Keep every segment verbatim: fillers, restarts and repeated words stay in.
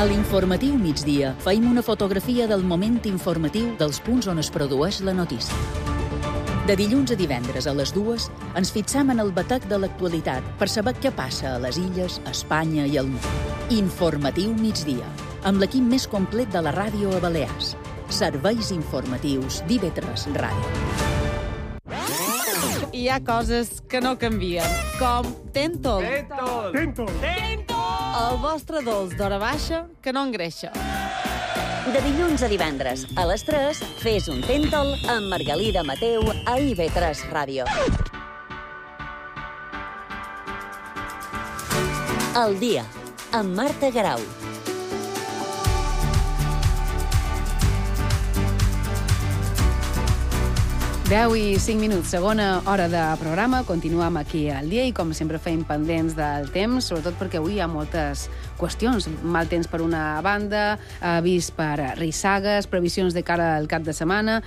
A l'informatiu migdia feim una fotografia del moment informatiu dels punts on es produeix la notícia. De dilluns a divendres a les dues ens fixam en el batec de l'actualitat per saber què passa a les illes, a Espanya i al món. Informatiu migdia, amb l'equip més complet de la ràdio a Balears. Serveis informatius d'I V tres Ràdio. Hi ha coses que no canvien, com Tentol. Tentol! Tentol! Tentol! El vostre dolç d'hora baixa que no engreixa. De dilluns a divendres, a les tres, fes un Tentol amb Margalida Mateu a I V tres Ràdio. El dia, amb Marta Garau. deu i cinc minuts, segona hora de programa. Continuem aquí al dia i, com sempre, fem pendents del temps, sobretot perquè avui hi ha moltes qüestions. Mal temps per una banda, avís per rissagues, previsions de cara al cap de setmana.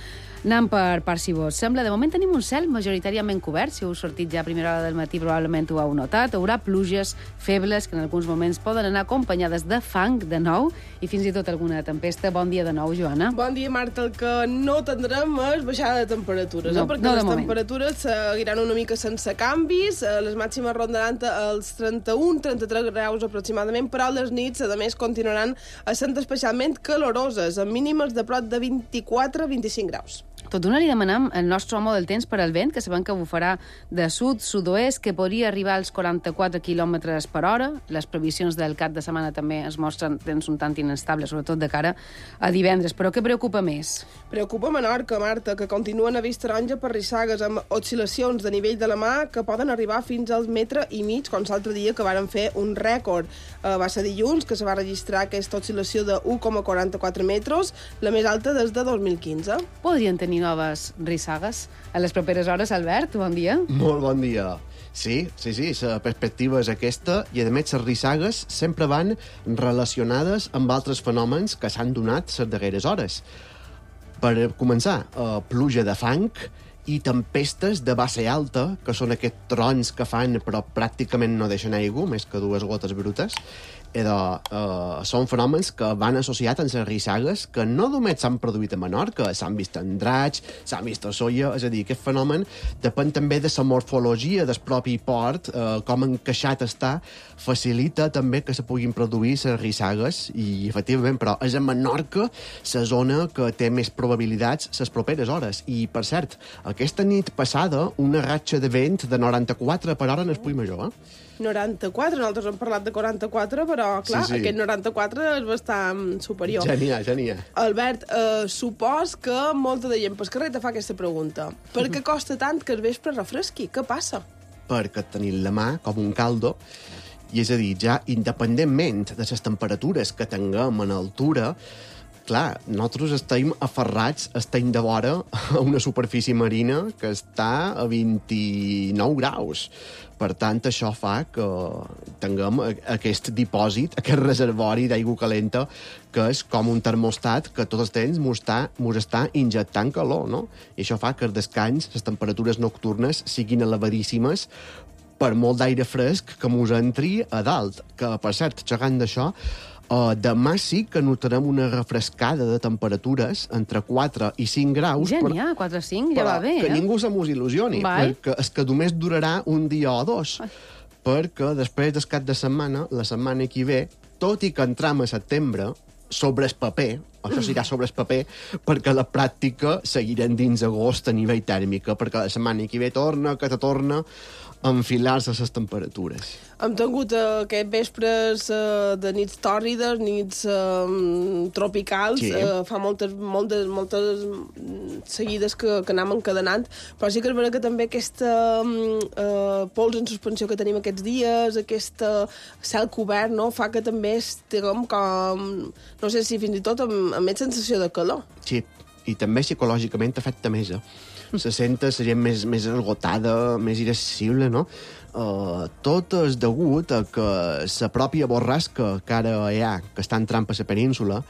Anem per part, si vos sembla. De moment tenim un cel majoritàriament cobert. Si heu sortit ja a primera hora del matí probablement ho heu notat. Hi haurà pluges febles que en alguns moments poden anar acompanyades de fang de nou i fins i tot alguna tempesta. Bon dia de nou, Joana. Bon dia, Marta. El que no tindrem és baixada de temperatures, no, eh? perquè no les moment. temperatures seguiran una mica sense canvis, les màximes rondaran els trenta-un trenta-tres graus aproximadament, però les nits, a més, continuaran sent especialment caloroses, amb mínimes de prop de vint-i-quatre a vint-i-cinc graus. Tot d'una li demanam el nostre home del temps per al vent, que sabem que bufarà de sud, sud-oest, que podria arribar als quaranta-quatre quilòmetres per hora. Les previsions del cap de setmana també es mostren temps un tant inestables, sobretot de cara a divendres. Però què preocupa més? Preocupa Menorca, Marta, que continuen a vist taronja per rissagues amb oscil·lacions de nivell de la mà que poden arribar fins al metre i mig, com l'altre dia que varen fer un rècord. Eh, va ser dilluns que se va registrar aquesta oscil·lació de u coma quaranta-quatre metres, la més alta des de dos mil quinze. Podrien tenir noves rissagues a les properes hores, Albert? Bon dia. Molt bon dia. Sí, sí, sí, la perspectiva és aquesta i, a més, les rissagues sempre van relacionades amb altres fenòmens que s'han donat les darreres hores. Per començar, eh, pluja de fang i tempestes de base alta, que són aquests trons que fan però pràcticament no deixen aigua, més que dues gotes brutes. Edo, uh, són fenòmens que van associats amb les rissagues que no només s'han produït a Menorca, s'han vist en Draig, s'han vist a Solla, és a dir, aquest fenomen depèn també de la morfologia del propi port, uh, com encaixat està, facilita també que se puguin produir les rissagues i, efectivament, però és a Menorca la zona que té més probabilitats les properes hores. I, per cert, aquesta nit passada, una ratxa de vent de noranta-quatre per hora en el Puig Major, eh? noranta-quatre, nosaltres hem parlat de quaranta-quatre, però, clar, Sí, sí. aquest noranta-quatre és bastant superior. Ja n'hi ha, ja n'hi ha. Albert, eh, supos que molta de gent pel carrer te fa aquesta pregunta. Per què costa tant que el vespre refresqui? Què passa? Perquè tenim la mà com un caldo, i és a dir, ja independentment de les temperatures que tinguem en altura, clar, nosaltres estem aferrats, estem de vora a una superfície marina que està a vint-i-nou graus. Per tant, això fa que tinguem aquest dipòsit, aquest reservori d'aigua calenta, que és com un termostat que tot el temps mos està, mos està injectant calor, no? I això fa que el descans, les temperatures nocturnes, siguin elevadíssimes per molt d'aire fresc que mos entri a dalt. Que, per cert, xerrant d'això, Uh, demà sí que notarem una refrescada de temperatures entre quatre i cinc graus. Ja n'hi ha, quatre o cinc, ja va bé, que eh? ningú se mos il·lusioni, Vai. perquè és que només durarà un dia o dos. Ai. Perquè després del cap de setmana, la setmana que ve, tot i que entram a setembre, sobre el paper, això serà sobre el paper, perquè a la pràctica seguirem dins agost a nivell tèrmica, perquè la setmana que ve torna, que te torna a enfilar-se les temperatures. Hem tingut uh, aquests vespres uh, de nits tòrrides, nits uh, tropicals, Sí. uh, fa moltes, moltes, moltes seguides que, que anem encadenant, però sí que és veritat que també aquesta uh, pols en suspensió que tenim aquests dies, aquest uh, cel cobert, no?, fa que també estiguem com, no sé si fins i tot amb, amb més sensació de calor. Sí, i també psicològicament afecta més. Eh? Se senta la gent més, més esgotada, més irascible, no? Uh, tot és degut a que la pròpia borrasca que ara hi ha, que està entrant per la península,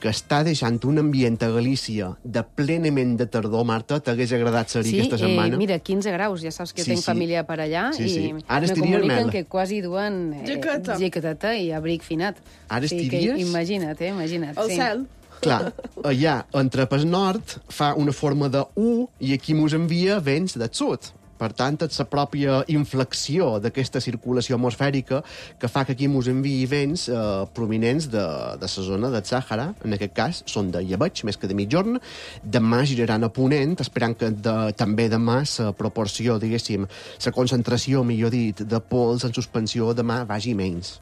que està deixant un ambient a Galícia de plenament de tardor, Marta, t'hagués agradat ser-hi sí, aquesta setmana? Sí, eh, mira, quinze graus, ja saps que sí, tenc sí. família per allà, sí, sí. i Ara me comuniquen que quasi duen eh, jaqueta. jaqueteta i abric finat. Ara sí, estiries? Que, imagina't, eh, imagina't. El sí. cel. Clar, allà, entre pel nord, fa una forma de U i aquí mos envia vents del sud. Per tant, és la pròpia inflexió d'aquesta circulació atmosfèrica que fa que aquí mos enviï vents eh, prominents de, de la zona del Sàhara. En aquest cas, són de llebeig, més que de mitjorn. Demà giraran a ponent, esperant que de, també demà la proporció, diguéssim, la concentració, millor dit, de pols en suspensió demà vagi menys.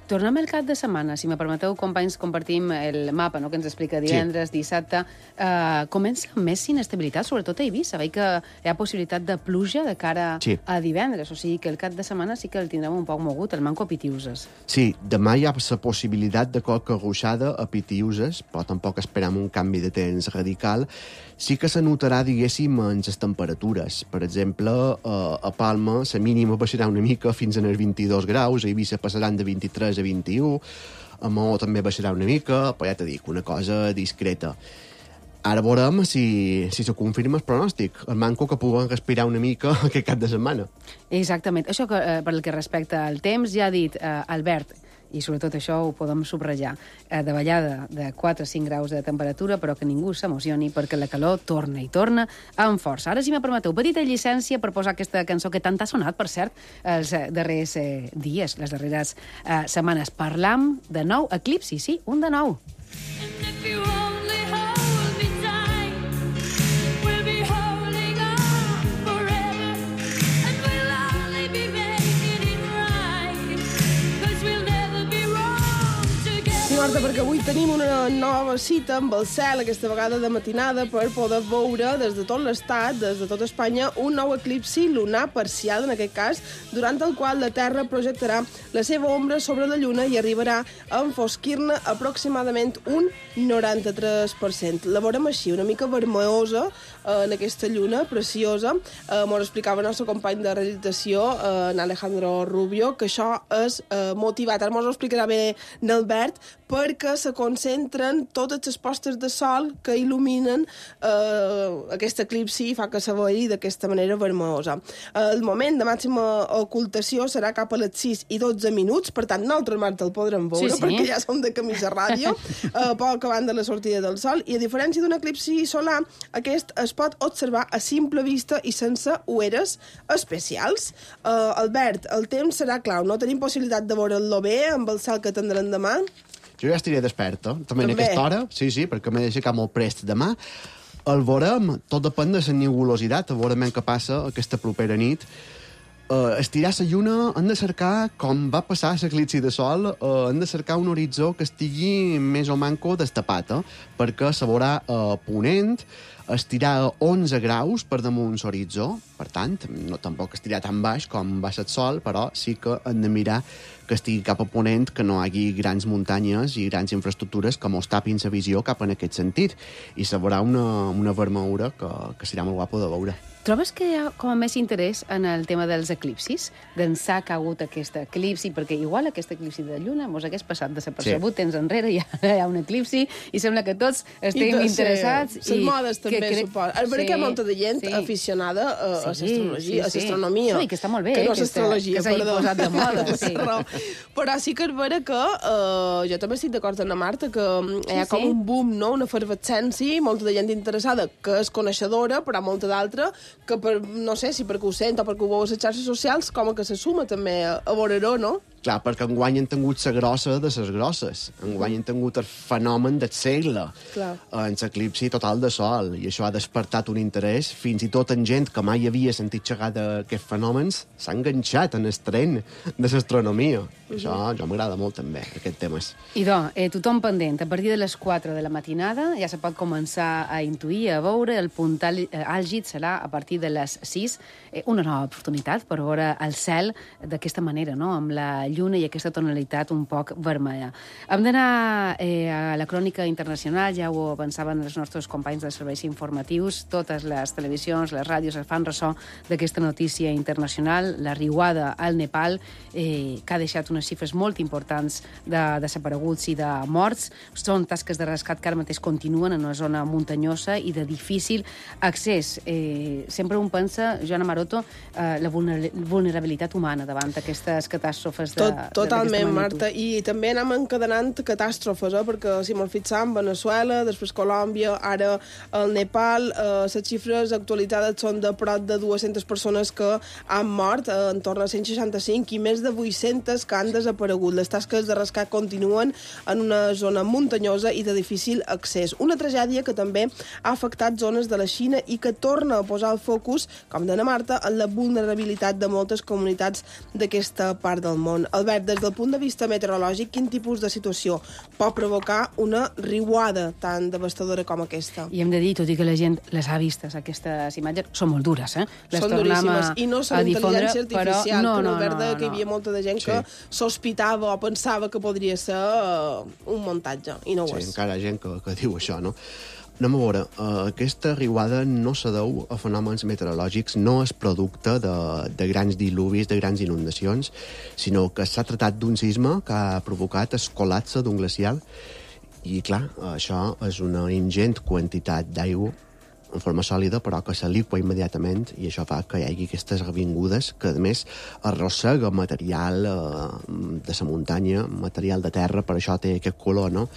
Tornem al cap de setmana, si me permeteu, companys, compartim el mapa, no?, que ens explica divendres, sí. dissabte. Uh, comença amb més inestabilitat, sobretot a Eivissa. Veig que hi ha possibilitat de pluja de cara sí. a divendres, o sigui que el cap de setmana sí que el tindrem un poc mogut, el manco a Pitiuses. Sí, demà hi ha la possibilitat de qualque ruixada a Pitiuses, però tampoc esperam un canvi de temps radical. Sí que se notarà, diguéssim, en les temperatures. Per exemple, a Palma la mínima baixarà una mica fins als vint-i-dos graus, a Eivissa passaran de vint-i-tres a vint-i-u, a Maó també baixarà una mica, però ja t'he dit, una cosa discreta. Ara veurem si, si se confirma el pronòstic. El manco que puguem respirar una mica aquest cap de setmana. Exactament. Això que, eh, per el que respecta al temps, ja ha dit eh, Albert, i sobretot això ho podem subratllar, eh, de ballada de quatre a cinc graus de temperatura, però que ningú s'emocioni perquè la calor torna i torna amb força. Ara, si me permeteu, petita llicència per posar aquesta cançó que tant ha sonat, per cert, els darrers eh, dies, les darreres eh, setmanes. Parlam de nou eclipsi, sí, un de nou. Marta, perquè avui tenim una nova cita amb el cel, aquesta vegada de matinada, per poder veure des de tot l'estat, des de tot Espanya, un nou eclipsi lunar parcial, en aquest cas, durant el qual la Terra projectarà la seva ombra sobre la Lluna i arribarà a enfosquir-ne aproximadament un noranta-tres per cent. La veurem així, una mica vermellosa, eh, en aquesta lluna preciosa. Eh, M'ho explicava el nostre company de realització, eh, en Alejandro Rubio, que això és eh, motivat, ara m'ho explicarà bé n'Albert, perquè se concentren totes les postes de sol que il·luminen eh, aquest eclipsi i fa que se vegi d'aquesta manera vermellosa. El moment de màxima ocultació serà cap a les sis i dotze minuts, per tant, nosaltres, Marta, el podrem veure, sí, sí. perquè ja som de camisa ràdio, eh, poc abans de la sortida del sol, i a diferència d'un eclipsi solar, aquest es pot observar a simple vista i sense ueres especials. Eh, Albert, el temps serà clau, no tenim possibilitat de veure'l bé amb el cel que tindrem demà? Jo ja estiré desperta, també, també en aquesta hora, sí, sí, perquè m'he d'aixecar molt prest demà. El veurem, tot depèn de la nebulositat, veurem què passa aquesta propera nit. Uh, estirar la lluna, hem de cercar, com va passar l'eclipsi de sol, uh, hem de cercar un horitzó que estigui més o manco destapat, eh? perquè se veurà uh, ponent, estirar a onze graus per damunt l'horitzó, per tant, no tampoc estirar tan baix com baix el sol, però sí que hem de mirar que estigui cap a ponent, que no hi hagi grans muntanyes i grans infraestructures que mos tapin la visió cap en aquest sentit. I se veurà una, una vermellura que, que serà molt guapo de veure. Trobes que hi ha com a més interès en el tema dels eclipsis? D'ençà que ha hagut aquest eclipsi, perquè igual aquest eclipsi de lluna mos hagués passat desapercebut sí. temps enrere, ja hi ha un eclipsi, i sembla que tots estem I interessats. Les modes també, cre... suposo. És veritat sí, que hi ha molta de gent sí. aficionada a, a l'astrologia, sí, sí, a l'astronomia. No, i que està molt bé, que no eh, l'astrologia, que s'hagi posat de moda. Sí. Però sí que és vera que uh, jo també estic d'acord amb la Marta, que sí, hi ha com sí. un boom, no? Una efervescència, molta de gent interessada que és coneixedora, però molta d'altra que per, no sé si perquè ho sent o perquè ho veu a les xarxes socials, com que se suma també a, a veure-ho, no? Clar, perquè enguany han tingut la grossa de les grosses. Enguany han tingut el fenomen del segle. Clar. En l'eclipsi total de sol. I això ha despertat un interès. Fins i tot en gent que mai havia sentit xerrar d'aquests fenòmens s'ha enganxat en el tren de l'astronomia. Uh-huh. Això jo m'agrada molt, també, aquest temes. Idò, eh, tothom pendent. A partir de les quatre de la matinada ja se pot començar a intuir, a veure. El punt àlgid serà a partir partir de les sis. Eh, una nova oportunitat per veure el cel d'aquesta manera, no? Amb la lluna i aquesta tonalitat un poc vermella. Hem d'anar eh, a la crònica internacional, ja ho avançaven els nostres companys dels serveis informatius, totes les televisions, les ràdios es fan ressò d'aquesta notícia internacional, la riuada al Nepal, eh, que ha deixat unes xifres molt importants de desapareguts i de morts. Són tasques de rescat que ara mateix continuen en una zona muntanyosa i de difícil accés. Eh, sempre un pensa, Joana Maroto, eh, la vulnerabilitat humana davant d'aquestes catàstrofes de, Tot, totalment, magnitud. Marta, i també anem encadenant catàstrofes, eh? Perquè si me'l fixam, Venezuela, després Colòmbia, ara el Nepal, eh, les xifres actualitzades són de prop de dues-centes persones que han mort, eh, en torn a cent seixanta-cinc, i més de vuit-centes que han desaparegut. Les tasques de rescat continuen en una zona muntanyosa i de difícil accés. Una tragèdia que també ha afectat zones de la Xina i que torna a posar el focus, com deia Marta, en la vulnerabilitat de moltes comunitats d'aquesta part del món. Albert, des del punt de vista meteorològic, quin tipus de situació pot provocar una riuada tan devastadora com aquesta? I hem de dir, tot i que la gent les ha vistes, aquestes imatges, són molt dures, eh? Les són tornem duríssimes, a, i no són a difondre, intel·ligència artificial, però... no, que no, Albert deia no, que hi havia no. molta de gent Sí. que sospitava o pensava que podria ser un muntatge, i no ho Sí, és. encara hi ha gent que, que diu això, no? Anem a veure, uh, aquesta riuada no se deu a fenòmens meteorològics, no és producte de, de grans diluvis, de grans inundacions, sinó que s'ha tractat d'un sisme que ha provocat el col·lapse d'un glacial i, clar, això és una ingent quantitat d'aigua en forma sòlida, però que se liqua immediatament i això fa que hi hagi aquestes revingudes que, a més, arrossega material eh, de la muntanya, material de terra, per això té aquest color, no?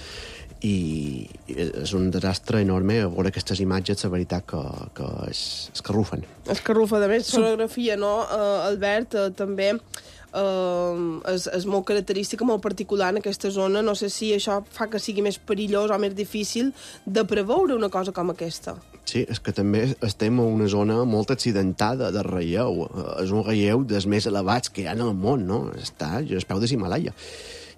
I és un desastre enorme a veure aquestes imatges, la veritat que, que es, es carrufen. Es carrufa, de més, fotografia, no? Uh, Albert, uh, també uh, és, és molt característica, molt particular en aquesta zona. No sé si això fa que sigui més perillós o més difícil de preveure una cosa com aquesta. Sí, és que també estem en una zona molt accidentada de relleu. És un relleu dels més elevats que hi ha en el món, no? Està als peus de l'Himalaya.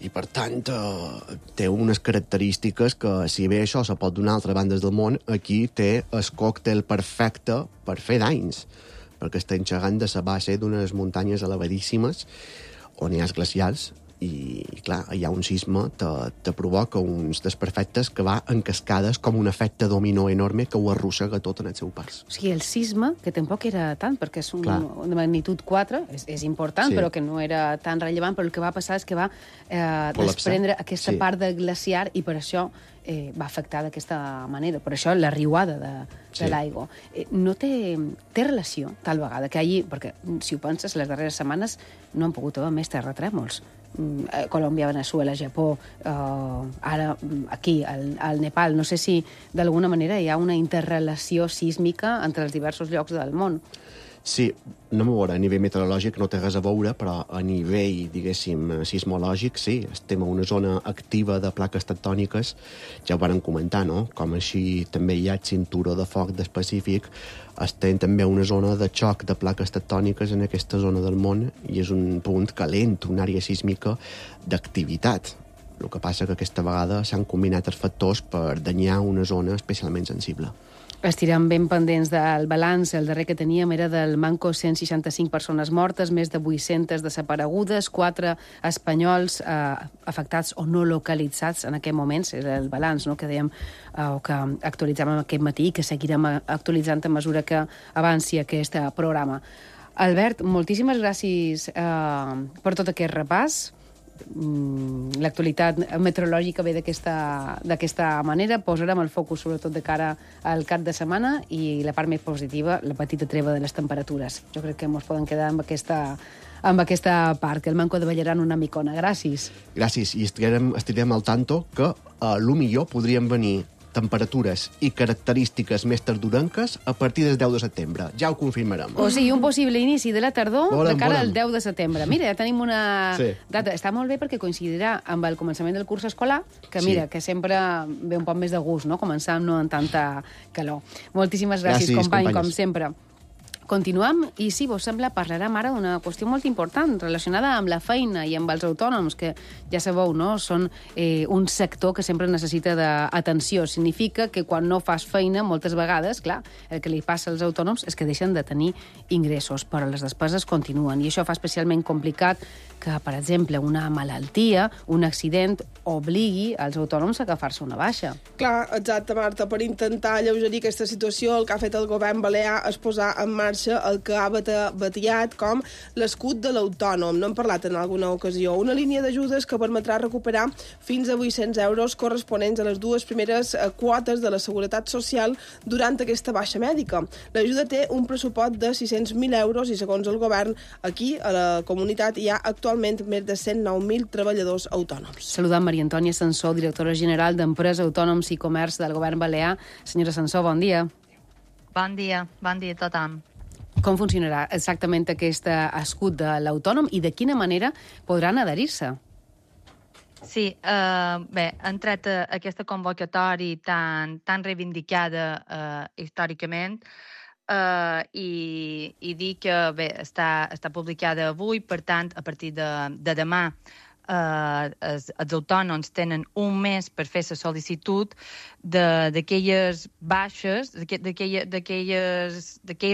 I, per tant, eh, té unes característiques que, si bé això se pot donar a altres bandes del món, aquí té el còctel perfecte per fer danys, perquè està enxegant de la base d'unes muntanyes elevadíssimes on hi ha glacials i, clar, hi ha un sisme que te provoca uns desperfectes que va en cascades com un efecte dominó enorme que ho arrossega tot en el seu pas. O sigui, el sisme, que tampoc era tant, perquè és un, Clar. una magnitud quatre, és, és important, Sí. però que no era tan rellevant, però el que va passar és que va eh, Col·lapsar. desprendre aquesta Sí. part de glaciar i per això eh, va afectar d'aquesta manera. Per això la riuada de, de Sí. l'aigua. Eh, no té, té relació, tal vegada, que hi hagi... Perquè, si ho penses, les darreres setmanes no han pogut haver més terratrèmols. Mm, eh, Colòmbia, Venezuela, Japó, eh, ara mm, aquí, al, al Nepal. No sé si d'alguna manera hi ha una interrelació sísmica entre els diversos llocs del món. Sí, no m'ho veure, a nivell meteorològic no té res a veure, però a nivell, diguéssim, sismològic, sí, estem en una zona activa de plaques tectòniques, ja ho varen comentar, no? Com així també hi ha cinturó de foc del Pacífic, estem també en una zona de xoc de plaques tectòniques en aquesta zona del món i és un punt calent, una àrea sísmica d'activitat. El que passa que aquesta vegada s'han combinat els factors per danyar una zona especialment sensible. Estirem ben pendents del balanç. El darrer que teníem era del Manco, cent seixanta-cinc persones mortes, més de vuit-centes desaparegudes, quatre espanyols eh, afectats o no localitzats en aquest moment. Era el balanç, no?, que dèiem eh, o que actualitzàvem aquest matí i que seguirem actualitzant a mesura que avanci aquest programa. Albert, moltíssimes gràcies eh, per tot aquest repàs. L'actualitat meteorològica ve d'aquesta manera. Posarem el focus sobretot de cara al cap de setmana i la part més positiva, la petita treva de les temperatures. Jo crec que ens poden quedar amb aquesta, amb aquesta part, que el Manco de ballaran una micona. Gràcies. Gràcies, i estirem, estirem al tanto que a lo millor podrien venir temperatures i característiques més tardorenques a partir del deu de setembre. Ja ho confirmarem. O sigui, un possible inici de la tardor Volem, de cara volem. al deu de setembre. Mira, ja tenim una Sí. data. Està molt bé perquè coincidirà amb el començament del curs escolar, que Sí. mira, que sempre ve un poc més de gust, no?, començar no en tanta calor. Moltíssimes gràcies, Gràcies, company, companyes. com sempre. Continuem i, si vos sembla, parlarem ara d'una qüestió molt important relacionada amb la feina i amb els autònoms, que ja sabeu, no? Són eh, un sector que sempre necessita d'atenció. Significa que quan no fas feina, moltes vegades, clar, el que li passa als autònoms és que deixen de tenir ingressos, però les despeses continuen. I això fa especialment complicat que, per exemple, una malaltia, un accident, obligui als autònoms a agafar-se una baixa. Clar, exacte, Marta. Per intentar alleugerir aquesta situació, el que ha fet el govern balear és posar en marxa el que ha batallat com l'escut de l'autònom. No hem parlat en alguna ocasió. Una línia d'ajudes que permetrà recuperar fins a vuit-cents euros corresponents a les dues primeres quotes de la Seguretat Social durant aquesta baixa mèdica. L'ajuda té un pressupost de sis-cents mil euros i, segons el govern, aquí, a la comunitat, hi ha actualment més de cent nou mil treballadors autònoms. Saludant Maria Antònia Sansó, directora general d'Empresa, Autònoms i Comerç del Govern Balear. Senyora Sansó, bon dia. Bon dia, bon dia a tothom. Com funcionarà exactament aquest escut de l'autònom i de quina manera podran adherir-se? Sí, eh, bé, han tret aquesta convocatòria tan, tan reivindicada eh, històricament eh, i, i dir que bé, està, està publicada avui, per tant, a partir de, de demà Uh, els, els autònoms tenen un mes per fer la sol·licitud d'aquelles baixes, d'aquells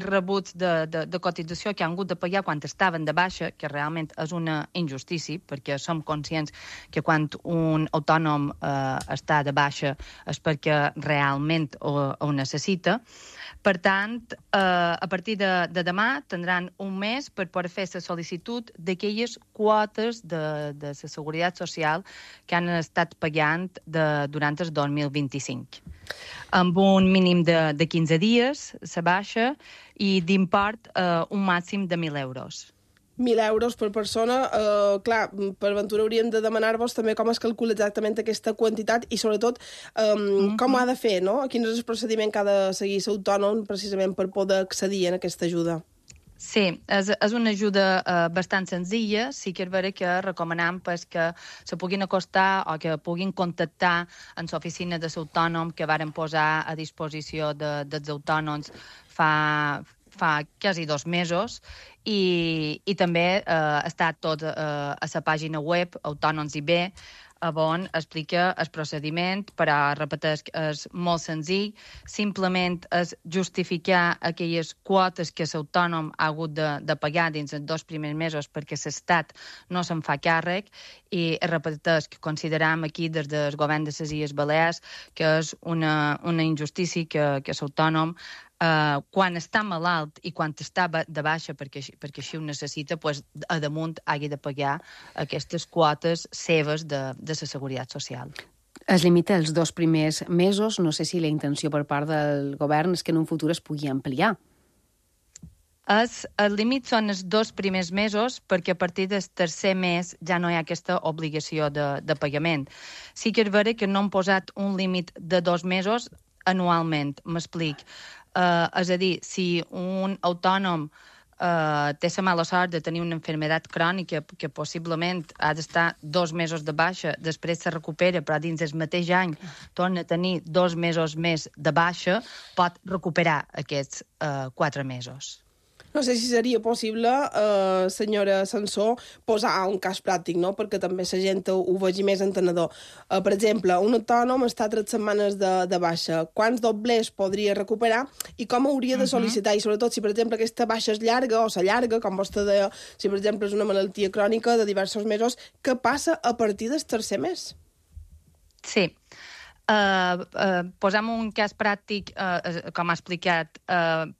rebuts de, de, de cotització que han hagut de pagar quan estaven de baixa, que realment és una injustícia, perquè som conscients que quan un autònom uh, està de baixa és perquè realment ho, ho necessita. Per tant, eh, a partir de, de demà tindran un mes per poder fer la sol·licitud d'aquelles quotes de, de la Seguretat Social que han estat pagant de, durant el dos mil vint-i-cinc. Amb un mínim de, de quinze dies, la baixa, i d'import eh, un màxim de mil euros. mil euros per persona. Uh, clar, per ventura hauríem de demanar-vos també com es calcula exactament aquesta quantitat i, sobretot, um, mm-hmm. com ho ha de fer, no? Quin és el procediment que ha de seguir l'autònom precisament per poder accedir a aquesta ajuda? Sí, és, és una ajuda uh, bastant senzilla. Sí que és vera que recomanem pues, que se puguin acostar o que puguin contactar en l'oficina de l'autònom que varen posar a disposició de, dels autònoms fa... fa quasi dos mesos i, i també eh, està tot eh, a la pàgina web Autònoms I B, on explica el procediment, però repeteix que és molt senzill, simplement és justificar aquelles quotes que l'autònom ha hagut de, de pagar dins els dos primers mesos perquè l'Estat no se'n fa càrrec i repeteix que consideram aquí des del govern de les Illes Balears que és una, una injustícia que, que l'autònom Uh, quan està malalt i quan està de baixa perquè, perquè així ho necessita, pues, a damunt hagi de pagar aquestes quotes seves de, de la Seguretat Social. Es limita als dos primers mesos. No sé si la intenció per part del govern és que en un futur es pugui ampliar. Es, el límit són els dos primers mesos perquè a partir del tercer mes ja no hi ha aquesta obligació de, de pagament. Sí que és vera que no han posat un límit de dos mesos anualment, m'explic. Uh, és a dir, si un autònom uh, té la mala sort de tenir una malaltia crònica que possiblement ha d'estar dos mesos de baixa, després se recupera, però dins del mateix any torna a tenir dos mesos més de baixa, pot recuperar aquests uh, quatre mesos. No sé si seria possible, eh, senyora Sansó, posar un cas pràctic, no? Perquè també la gent ho, ho vegi més entenedor. Eh, per exemple, un autònom està tres setmanes de, de baixa. Quants doblers podria recuperar i com hauria de sol·licitar? Uh-huh. I sobretot, si per exemple aquesta baixa és llarga o s'allarga, com vostè deia, si per exemple és una malaltia crònica de diversos mesos, què passa a partir del tercer mes? Sí. Uh, uh, posem un cas pràctic, uh, com ha explicat, uh,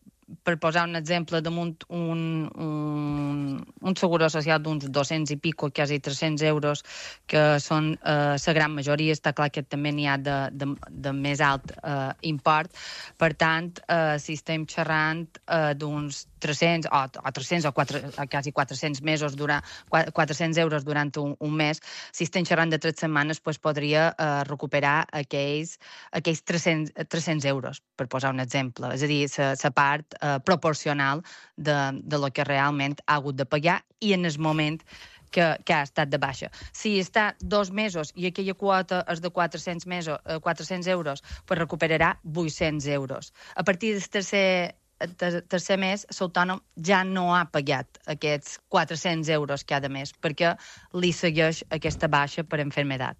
per posar un exemple, damunt un, un, un seguro social d'uns dos-cents i pico, quasi tres-cents euros, que són eh, la gran majoria, està clar que també n'hi ha de, de, de més alt eh, import. Per tant, eh, si estem xerrant eh, d'uns tres-cents o, o tres-cents o, quatre, o quasi quatre-cents mesos durant, quatre-cents euros durant un, un mes, si estem xerrant de tres setmanes, pues podria eh, recuperar aquells, aquells tres-cents, tres-cents euros, per posar un exemple. És a dir, la part eh, proporcional de, de lo que realment ha hagut de pagar i en el moment que, que ha estat de baixa. Si està dos mesos i aquella quota és de quatre-cents, mesos, eh, quatre-cents euros, pues recuperarà vuit-cents euros. A partir del tercer ter tercer mes, l'autònom ja no ha pagat aquests quatre-cents euros cada mes, perquè li segueix aquesta baixa per enfermedat.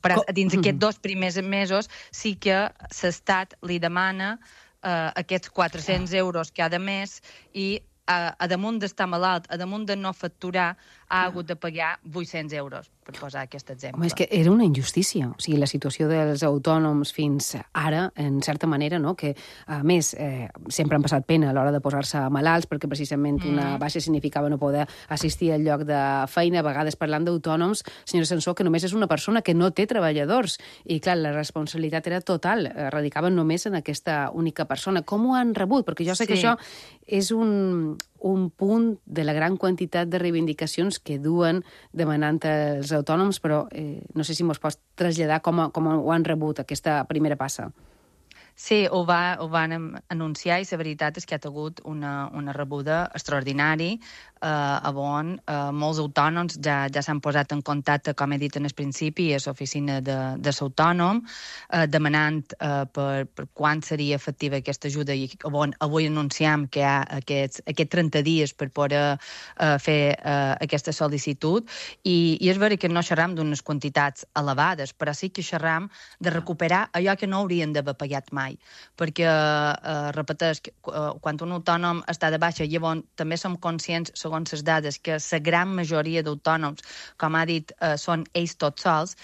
Però dins aquests dos primers mesos sí que l'Estat li demana eh, aquests quatre-cents euros cada mes i a, a damunt d'estar malalt, a damunt de no facturar, ha hagut de pagar vuit-cents euros, per posar aquest exemple. Home, és que era una injustícia. O sigui, la situació dels autònoms fins ara, en certa manera, no? Que, a més, eh, sempre han passat pena a l'hora de posar-se malalts, perquè precisament mm. una baixa significava no poder assistir al lloc de feina. A vegades, parlant d'autònoms, senyora Sansó, que només és una persona que no té treballadors. I, clar, la responsabilitat era total. Radicaven només en aquesta única persona. Com ho han rebut? Perquè jo sé sí. que això és un... un punt de la gran quantitat de reivindicacions que duen demanant els autònoms, però eh, no sé si mos pots traslladar com, a, com ho han rebut, aquesta primera passa. Sí, ho, va, ho van anunciar i la veritat és que ha hagut una, una rebuda extraordinari eh, on eh, molts autònoms ja, ja s'han posat en contacte, com he dit en el principi, a l'oficina de, de l'autònom, eh, demanant eh, per, per quan seria efectiva aquesta ajuda i on avui anunciem que hi ha aquests, aquests trenta dies per poder eh, fer eh, aquesta sol·licitud i, i és veritat que no xerram d'unes quantitats elevades, però sí que xerram de recuperar allò que no haurien d'haver pagat mai. Perquè, eh, repeteix, quan un autònom està de baixa, llavors també som conscients, segons les dades, que la gran majoria d'autònoms, com ha dit, eh, són ells tots sols,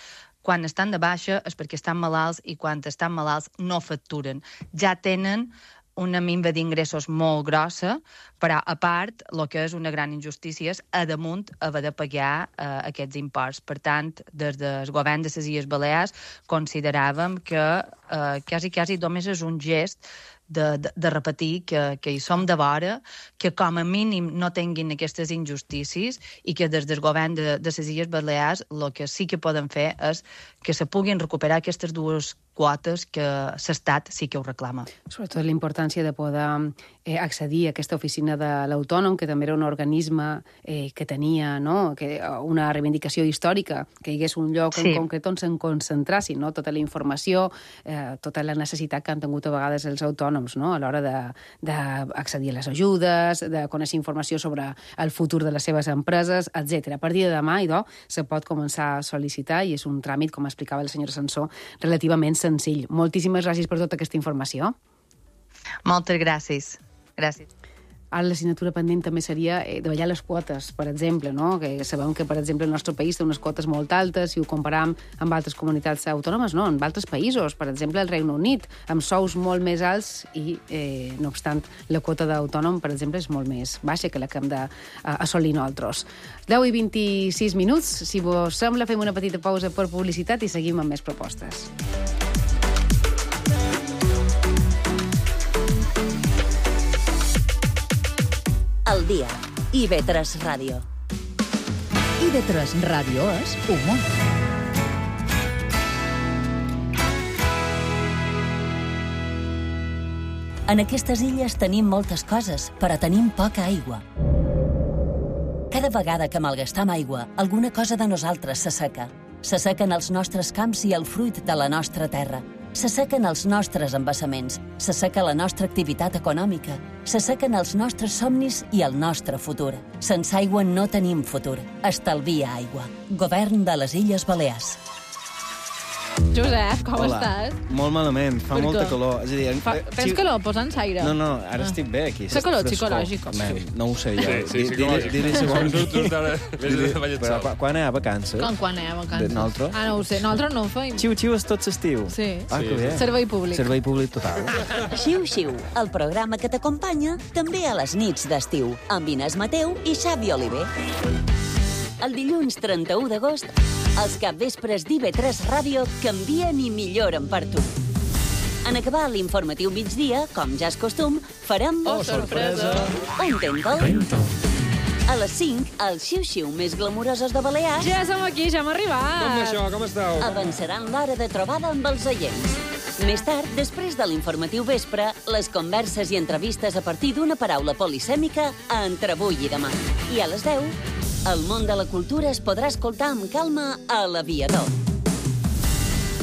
quan estan de baixa és perquè estan malalts i quan estan malalts no facturen. Ja tenen una minva d'ingressos molt grossa, però a part, el que és una gran injustícia és a damunt haver de pagar eh, aquests imports. Per tant, des del govern de les Illes Balears consideràvem que eh, quasi, quasi només és un gest de, de, de repetir que, que hi som de vora, que com a mínim no tinguin aquestes injustícies i que des del govern de, de les Illes Balears el que sí que poden fer és que se puguin recuperar aquestes dues quotes que l'Estat sí que ho reclama. Sobretot la importància de poder eh, accedir a aquesta oficina de l'autònom, que també era un organisme eh, que tenia no? que, una reivindicació històrica, que hi hagués un lloc sí. en concret on se'n concentrassin no? tota la informació, eh, tota la necessitat que han tingut a vegades els autònoms no? a l'hora d'accedir a les ajudes, de conèixer informació sobre el futur de les seves empreses, etcètera. A partir de demà, idò, se pot començar a sol·licitar i és un tràmit, com explicava la senyora Sansó, relativament senzill. Moltíssimes gràcies per tota aquesta informació. Moltes gràcies. Gràcies. Ara l'assignatura pendent també seria eh, davallar les quotes, per exemple, no? Que sabem que, per exemple, el nostre país té unes quotes molt altes, si ho comparam amb altres comunitats autònomes, no, amb altres països, per exemple, el Regne Unit, amb sous molt més alts i, eh, no obstant, la quota d'autònom, per exemple, és molt més baixa que la que hem d'assolir nosaltres. deu i vint-i-sis minuts, si vos sembla, fem una petita pausa per publicitat i seguim amb més propostes. El dia. I ve tres Ràdio. I ve tres Ràdio és humor. En aquestes illes tenim moltes coses, però tenim poca aigua. Cada vegada que malgastam aigua, alguna cosa de nosaltres s'asseca. S'assequen els nostres camps i el fruit de la nostra terra. S'assequen els nostres embassaments, s'asseca la nostra activitat econòmica, s'assequen els nostres somnis i el nostre futur. Sense aigua no tenim futur. Estalvia aigua. Govern de les Illes Balears. Josep, com Hola. estàs? Molt malament, fa Per molta què? calor. És a dir, Fa, tens si... calor? Posa'ns aire. No, no, ara Ah. estic bé aquí. Fa calor Frescor. psicològic. Man, no ho sé jo. Sí, sí, Di- psicològic. Diré, diré segons... Tu, tu estàs Diré- de ballet Però sol. quan- quan hi ha vacances? Com quan anem a vacances? De nosaltres? Ah, no ho sé. Nosaltres no ho feim. Xiu-xiu és tot l'estiu. Sí. Ah, que bé. Servei públic. Servei públic total. Xiu-xiu, el programa que t'acompanya també a les nits d'estiu, amb Inés Mateu i Xavi Oliver. El dilluns trenta-u d'agost, els capvespres d'I V tres Ràdio canvien i milloren per tu. En acabar l'informatiu migdia, com ja és costum, farem... Oh, sorpresa! Un Tentol. A les cinc, els xiu-xiu més glamurosos de Balears Ja som aquí, ja hem arribat. Com això? Com esteu? avançaran l'hora de trobada amb els oients. Més tard, després de l'informatiu vespre, les converses i entrevistes a partir d'una paraula polisèmica a Entre avui i demà. I a les deu, el món de la cultura es podrà escoltar amb calma a l'Aviador.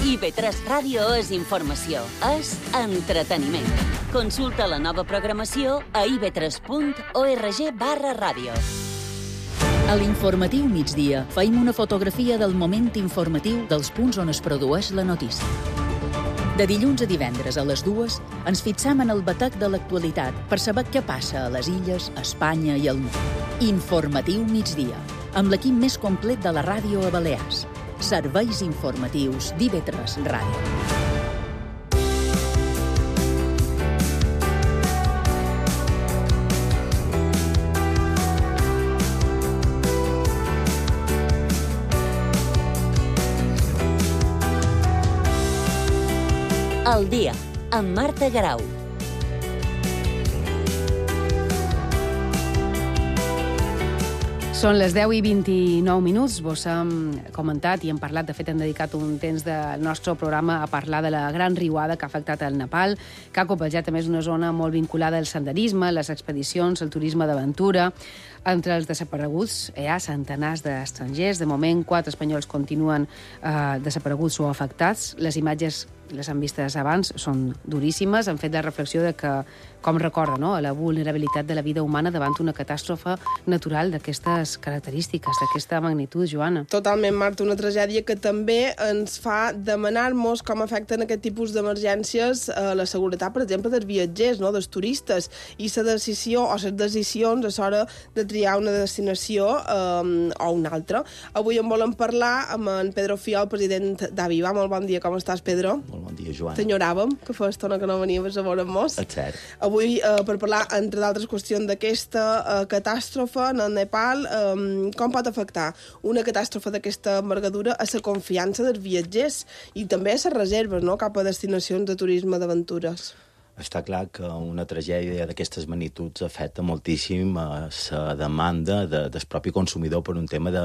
I B tres Ràdio és informació, és entreteniment. Consulta la nova programació a i be tres punt org barra ràdio. A l'informatiu migdia feim una fotografia del moment informatiu dels punts on es produeix la notícia. De dilluns a divendres a les dues ens fixam en el batec de l'actualitat per saber què passa a les illes, a Espanya i al món. Informatiu migdia, amb l'equip més complet de la ràdio a Balears. Serveis informatius d'I B tres Ràdio. El dia, amb Marta Garau. Són les deu i vint-i-nou minuts. Vos hem comentat i hem parlat, de fet hem dedicat un temps del nostre programa a parlar de la gran riuada que ha afectat el Nepal, que ha copejat també és una zona molt vinculada al senderisme, les expedicions, el turisme d'aventura. Entre els desapareguts hi ha centenars d'estrangers. De moment, quatre espanyols continuen eh, desapareguts o afectats. Les imatges, les han vistes abans, són duríssimes. Han fet la reflexió de que, com recorda, no?, la vulnerabilitat de la vida humana davant una catàstrofe natural d'aquestes característiques, d'aquesta magnitud, Joana. Totalment, Marta, una tragèdia que també ens fa demanar-nos com afecten aquest tipus d'emergències a la seguretat, per exemple, dels viatgers, no?, dels turistes, i la decisió o les decisions a l'hora de triar una destinació eh, o una altra. Avui en volem parlar amb en Pedro Fiol, president d'Aviva. Molt bon dia, com estàs, Pedro? Molt bon dia, Joana. T'enyoràvem, que fa estona que no venies a veure'm-nos. És cert. Avui, eh, per parlar, entre d'altres qüestions, d'aquesta eh, catàstrofe en el Nepal, eh, com pot afectar una catàstrofe d'aquesta envergadura a la confiança dels viatgers i també a les reserves, no?, cap a destinacions de turisme d'aventures. Està clar que una tragèdia d'aquestes magnituds afecta moltíssim a la demanda de, del propi consumidor per un tema de,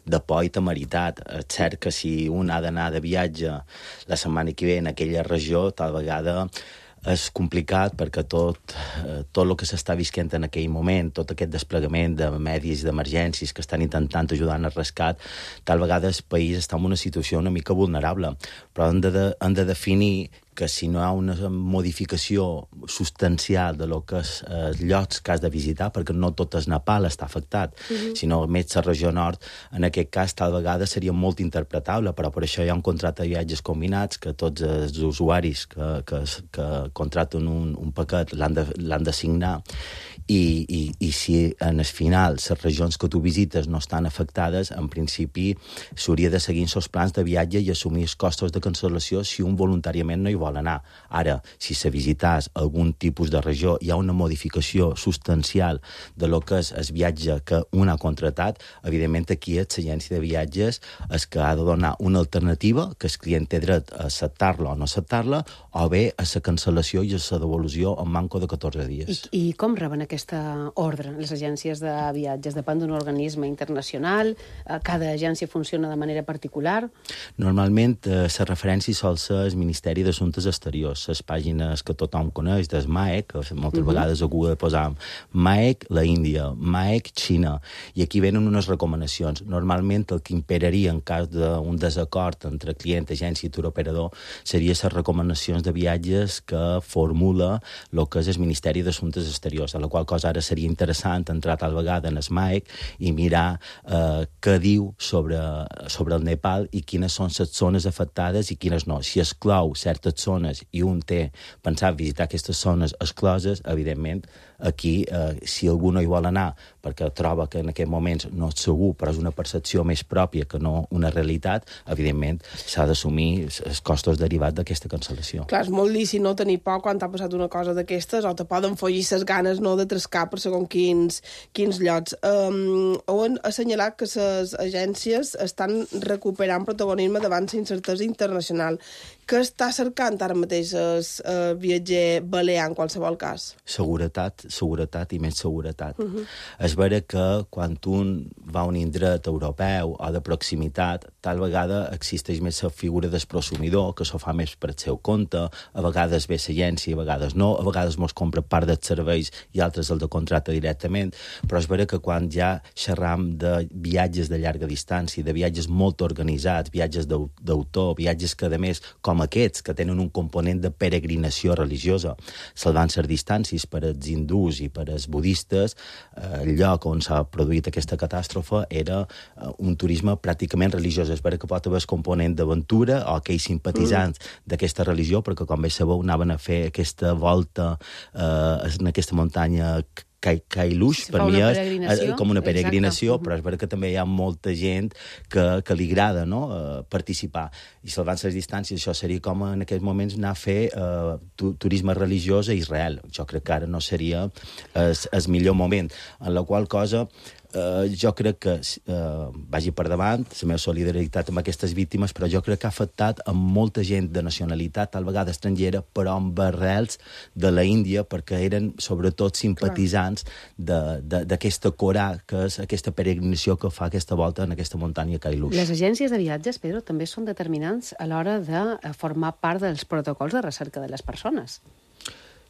de por i temeritat. És cert que si un ha d'anar de viatge la setmana que ve en aquella regió, tal vegada és complicat perquè tot, eh, tot el que s'està visquent en aquell moment, tot aquest desplegament de medis d'emergències que estan intentant ajudar en el rescat, tal vegada el país està en una situació una mica vulnerable. Però hem de, de, hem de definir que si no hi ha una modificació substancial de lo que és els llocs que has de visitar, perquè no tot el Nepal està afectat, uh-huh. sinó més la regió nord, en aquest cas tal vegada seria molt interpretable, però per això hi ha un contracte de viatges combinats que tots els usuaris que, que, que contracten un, un paquet l'han de, l'han de signar, i, i, i si en el final les regions que tu visites no estan afectades, en principi s'hauria de seguir els plans de viatge i assumir els costos de cancel·lació si un voluntàriament no hi vol anar. Ara, si se visités algun tipus de regió, hi ha una modificació substancial de lo que és el viatge que un ha contractat, evidentment aquí és l'agència de viatges és que ha de donar una alternativa que el client té dret a acceptar-la o no acceptar-la, o bé a la cancel·lació i a la devolució en manco de catorze dies. I, i com reben aquesta ordre les agències de viatges? Depèn d'un organisme internacional? Cada agència funciona de manera particular? Normalment, eh, la referència sol ser el Ministeri d'Assumptes Exteriors, les pàgines que tothom coneix, des M A E C, que moltes uh-huh. vegades algú ha de posar M A E C, la Índia, M A E C, Xina, i aquí venen unes recomanacions. Normalment, el que imperaria en cas d'un desacord entre client, agència i turoperador seria les recomanacions de viatges que formula el que és el Ministeri d'Assumptes Exteriors, a la qual cosa ara seria interessant entrar tal vegada en el M A E C i mirar eh, què diu sobre, sobre el Nepal i quines són les zones afectades i quines no. Si exclou certes zones i un té pensat visitar aquestes zones excloses, evidentment, aquí, eh, si algú no hi vol anar perquè troba que en aquest moments no és segur, però és una percepció més pròpia que no una realitat, evidentment s'ha d'assumir els costos derivats d'aquesta cancel·lació. Clar, és molt lícit no tenir por quan t'ha passat una cosa d'aquestes, o te poden follir ses ganes no de trescar per segons quins, quins llocs. Um, heu assenyalat que les agències estan recuperant protagonisme davant la incertesa internacional. Què està cercant ara mateix el uh, viatger balear en qualsevol cas? Seguretat, seguretat i més seguretat. Uh -huh. És vera que quan un va a un indret europeu o de proximitat, tal vegada existeix més la figura del prosumidor, que s'ho fa més per el seu compte, a vegades ve l'agència, a vegades no, a vegades mos compra part dels serveis i altres el de contracte directament, però és vera que quan ja xerram de viatges de llarga distància, de viatges molt organitzats, viatges d'autor, viatges que, a més, com aquests, que tenen un component de peregrinació religiosa, salvant les distàncies per als hindús i per als budistes, eh, el lloc on s'ha produït aquesta catàstrofe era eh, un turisme pràcticament religiós. És vera que pot haver el component d'aventura o aquells simpatitzants mm. d'aquesta religió, perquè, com bé sabeu, anaven a fer aquesta volta eh, en aquesta muntanya Kailush, per mi és eh, com una peregrinació, exacte. Però és vera que també hi ha molta gent que, que li agrada, no?, uh, participar. I salvant les distàncies, això seria com en aquests moments anar a fer uh, tu, turisme religiós a Israel. Jo crec que ara no seria el millor moment. En la qual cosa, Uh, jo crec que uh, vagi per davant la meva solidaritat amb aquestes víctimes, però jo crec que ha afectat a molta gent de nacionalitat, tal vegada estrangera, però amb arrels de la Índia, perquè eren sobretot simpatitzants d'aquesta Corà, que és aquesta peregrinació que fa aquesta volta en aquesta muntanya Kailush. Les agències de viatges, Pedro, també són determinants a l'hora de formar part dels protocols de recerca de les persones.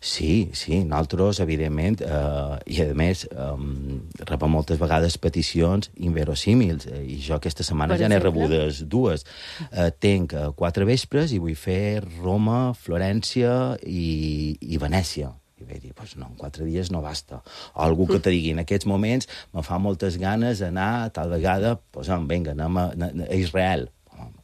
Sí, sí, nosaltres, evidentment, eh, i a més, eh, rebem moltes vegades peticions inverosímils, eh, i jo aquesta setmana per ja n'he rebudes dues. Eh, tenc eh, quatre vespres i vull fer Roma, Florència i, i Venècia. I vaig dir, pues no, en quatre dies no basta. O algú que te digui, en aquests moments me fa moltes ganes d'anar, tal vegada, pues, vinga, anem a, a Israel.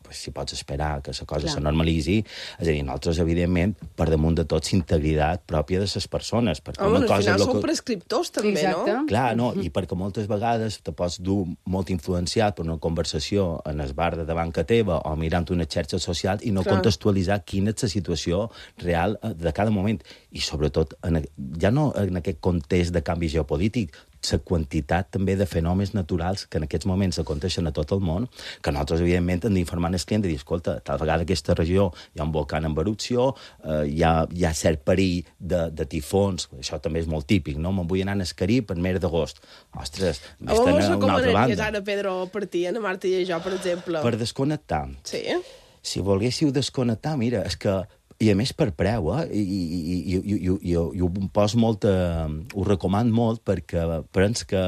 Pues, si pots esperar que la cosa se normalitzi, és a dir, nosaltres, evidentment, per damunt de tot, l'integritat pròpia de les persones. Perquè Home, una al cosa final que... són prescriptors, també, Exacte. no? Clar, no, i perquè moltes vegades te pots dur molt influenciat per una conversació en el bar de davant que teva o mirant una xarxa social i no Clar. contextualitzar quina és la situació real de cada moment. I, sobretot, en, ja no en aquest context de canvi geopolític, la quantitat també de fenòmens naturals que en aquests moments aconteixen a tot el món, que nosaltres, evidentment, hem d'informar el client i dir, escolta, tal vegada aquesta regió hi ha un volcà en erupció, eh, hi, ha, hi ha cert perill de, de tifons, això també és molt típic, no? Me'n vull anar al Carib en mes d'agost. Ostres, m'estan a una altra banda. Com recomanaries ara, Pedro, per ti, Ana Marta i jo, per exemple? Per desconnectar. Sí? Si volguéssiu desconnectar, mira, és que i a més per preu, eh? I, i, i, i, i, i, i ho poso molt, eh, ho recomano molt perquè penso que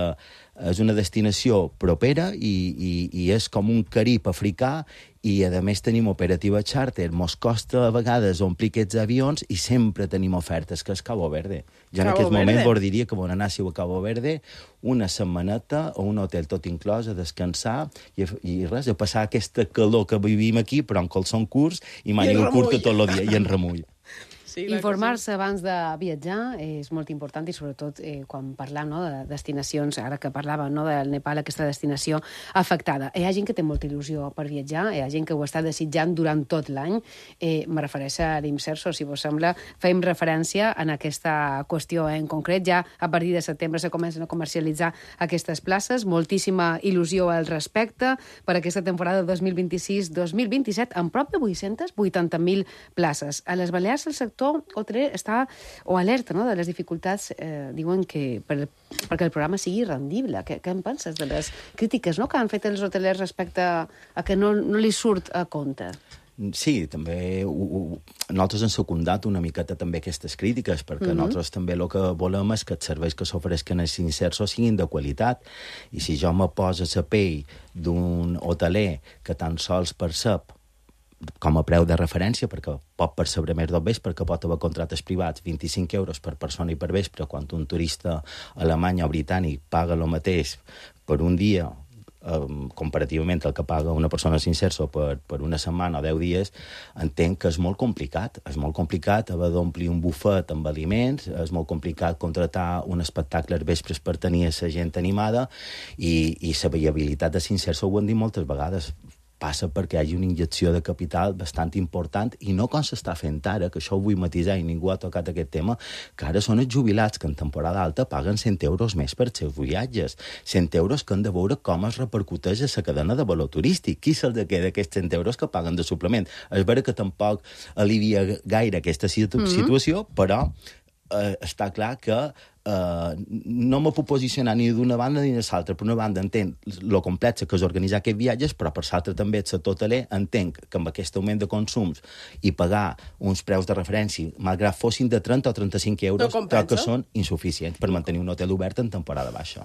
és una destinació propera i, i, i és com un Carib africà i, a més, tenim operativa charter. Mos costa, a vegades, omplir aquests avions i sempre tenim ofertes, que és Cabo Verde. Jo en aquest moment vos diria que vos anàssiu a Cabo Verde una setmaneta o un hotel tot inclòs a descansar i, i res, a passar aquesta calor que vivim aquí, però en calçons curts i màniga curta tot el dia, i en remull. Sí, informar-se abans de viatjar és molt important i sobretot eh, quan parlam no, de destinacions, ara que parlàvem no, del Nepal, aquesta destinació afectada. Hi ha gent que té molta il·lusió per viatjar, hi ha gent que ho està desitjant durant tot l'any. Eh, me refereixo a l'Imserso, si vos sembla, fem referència en aquesta qüestió en concret. Ja a partir de setembre se comencen a comercialitzar aquestes places, moltíssima il·lusió al respecte per aquesta temporada dos mil vint-i-sis dos mil vint-i-set, amb prop de vuit-centes vuitanta mil places. A les Balears el sector hoteler està o alerta no, de les dificultats, eh, diuen que per, perquè el programa sigui rendible. Què, què en penses de les crítiques no, que han fet els hotelers respecte a que no, no li surt a compte? Sí, també ho, ho, nosaltres hem secundat una miqueta també aquestes crítiques, perquè mm-hmm. nosaltres també el que volem és que els serveis que s'ofereixen als Inserso siguin de qualitat. I si jo me poso a la pell d'un hoteler que tan sols percep com a preu de referència, perquè pot percebre més del vespre, perquè pot haver contractes privats, vint-i-cinc euros per persona i per vespre, quan un turista alemany o britànic paga el mateix per un dia, eh, comparativament al que paga una persona Inserso per, per una setmana o deu dies, entenc que és molt complicat. És molt complicat haver d'omplir un bufet amb aliments, és molt complicat contratar un espectacle als vespres per tenir la gent animada, i, i la viabilitat de Inserso ho hem dit moltes vegades. passa perquè hi hagi una injecció de capital bastant important i no com s'està fent ara, que això ho vull matisar i ningú ha tocat aquest tema, que ara són els jubilats que en temporada alta paguen cent euros més per els seus viatges. cent euros que han de veure com es repercuteix a la cadena de valor turístic. Qui se'ls queda aquests cent euros que paguen de suplement? És vera que tampoc alivia gaire aquesta situ mm-hmm. situació, però eh, està clar que Uh, no me puc posicionar ni d'una banda ni de l'altra. Per una banda entenc lo complex que és organitzar aquests viatges, però per l'altra també el sector hoteler entenc que amb aquest augment de consums i pagar uns preus de referència, malgrat fossin de trenta o trenta-cinc euros, no que són insuficients per mantenir un hotel obert en temporada baixa.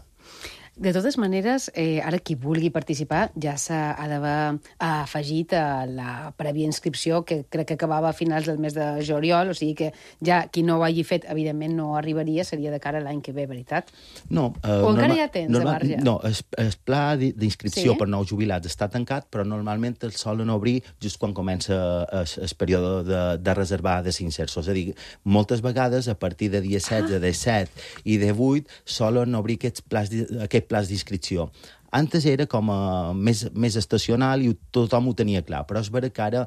De totes maneres, eh, ara qui vulgui participar ja s'ha d'haver afegit a la prèvia inscripció, que crec que acabava a finals del mes de juliol, o sigui que ja qui no ho hagi fet, evidentment no arribaria, seria de cara a l'any que ve, veritat? No. Eh, o encara normal, hi ha temps, normal, de marge? No, el, el pla d'inscripció sí? per nous jubilats està tancat, però normalment el solen obrir just quan comença el, el període de, de reservar de s'inserso. És a dir, moltes vegades, a partir de dia setze, ah. de set i de vuit, solen obrir aquests plans, aquest plans d'inscripció. Antes era com a més, més estacional i tothom ho tenia clar, però és vera que ara,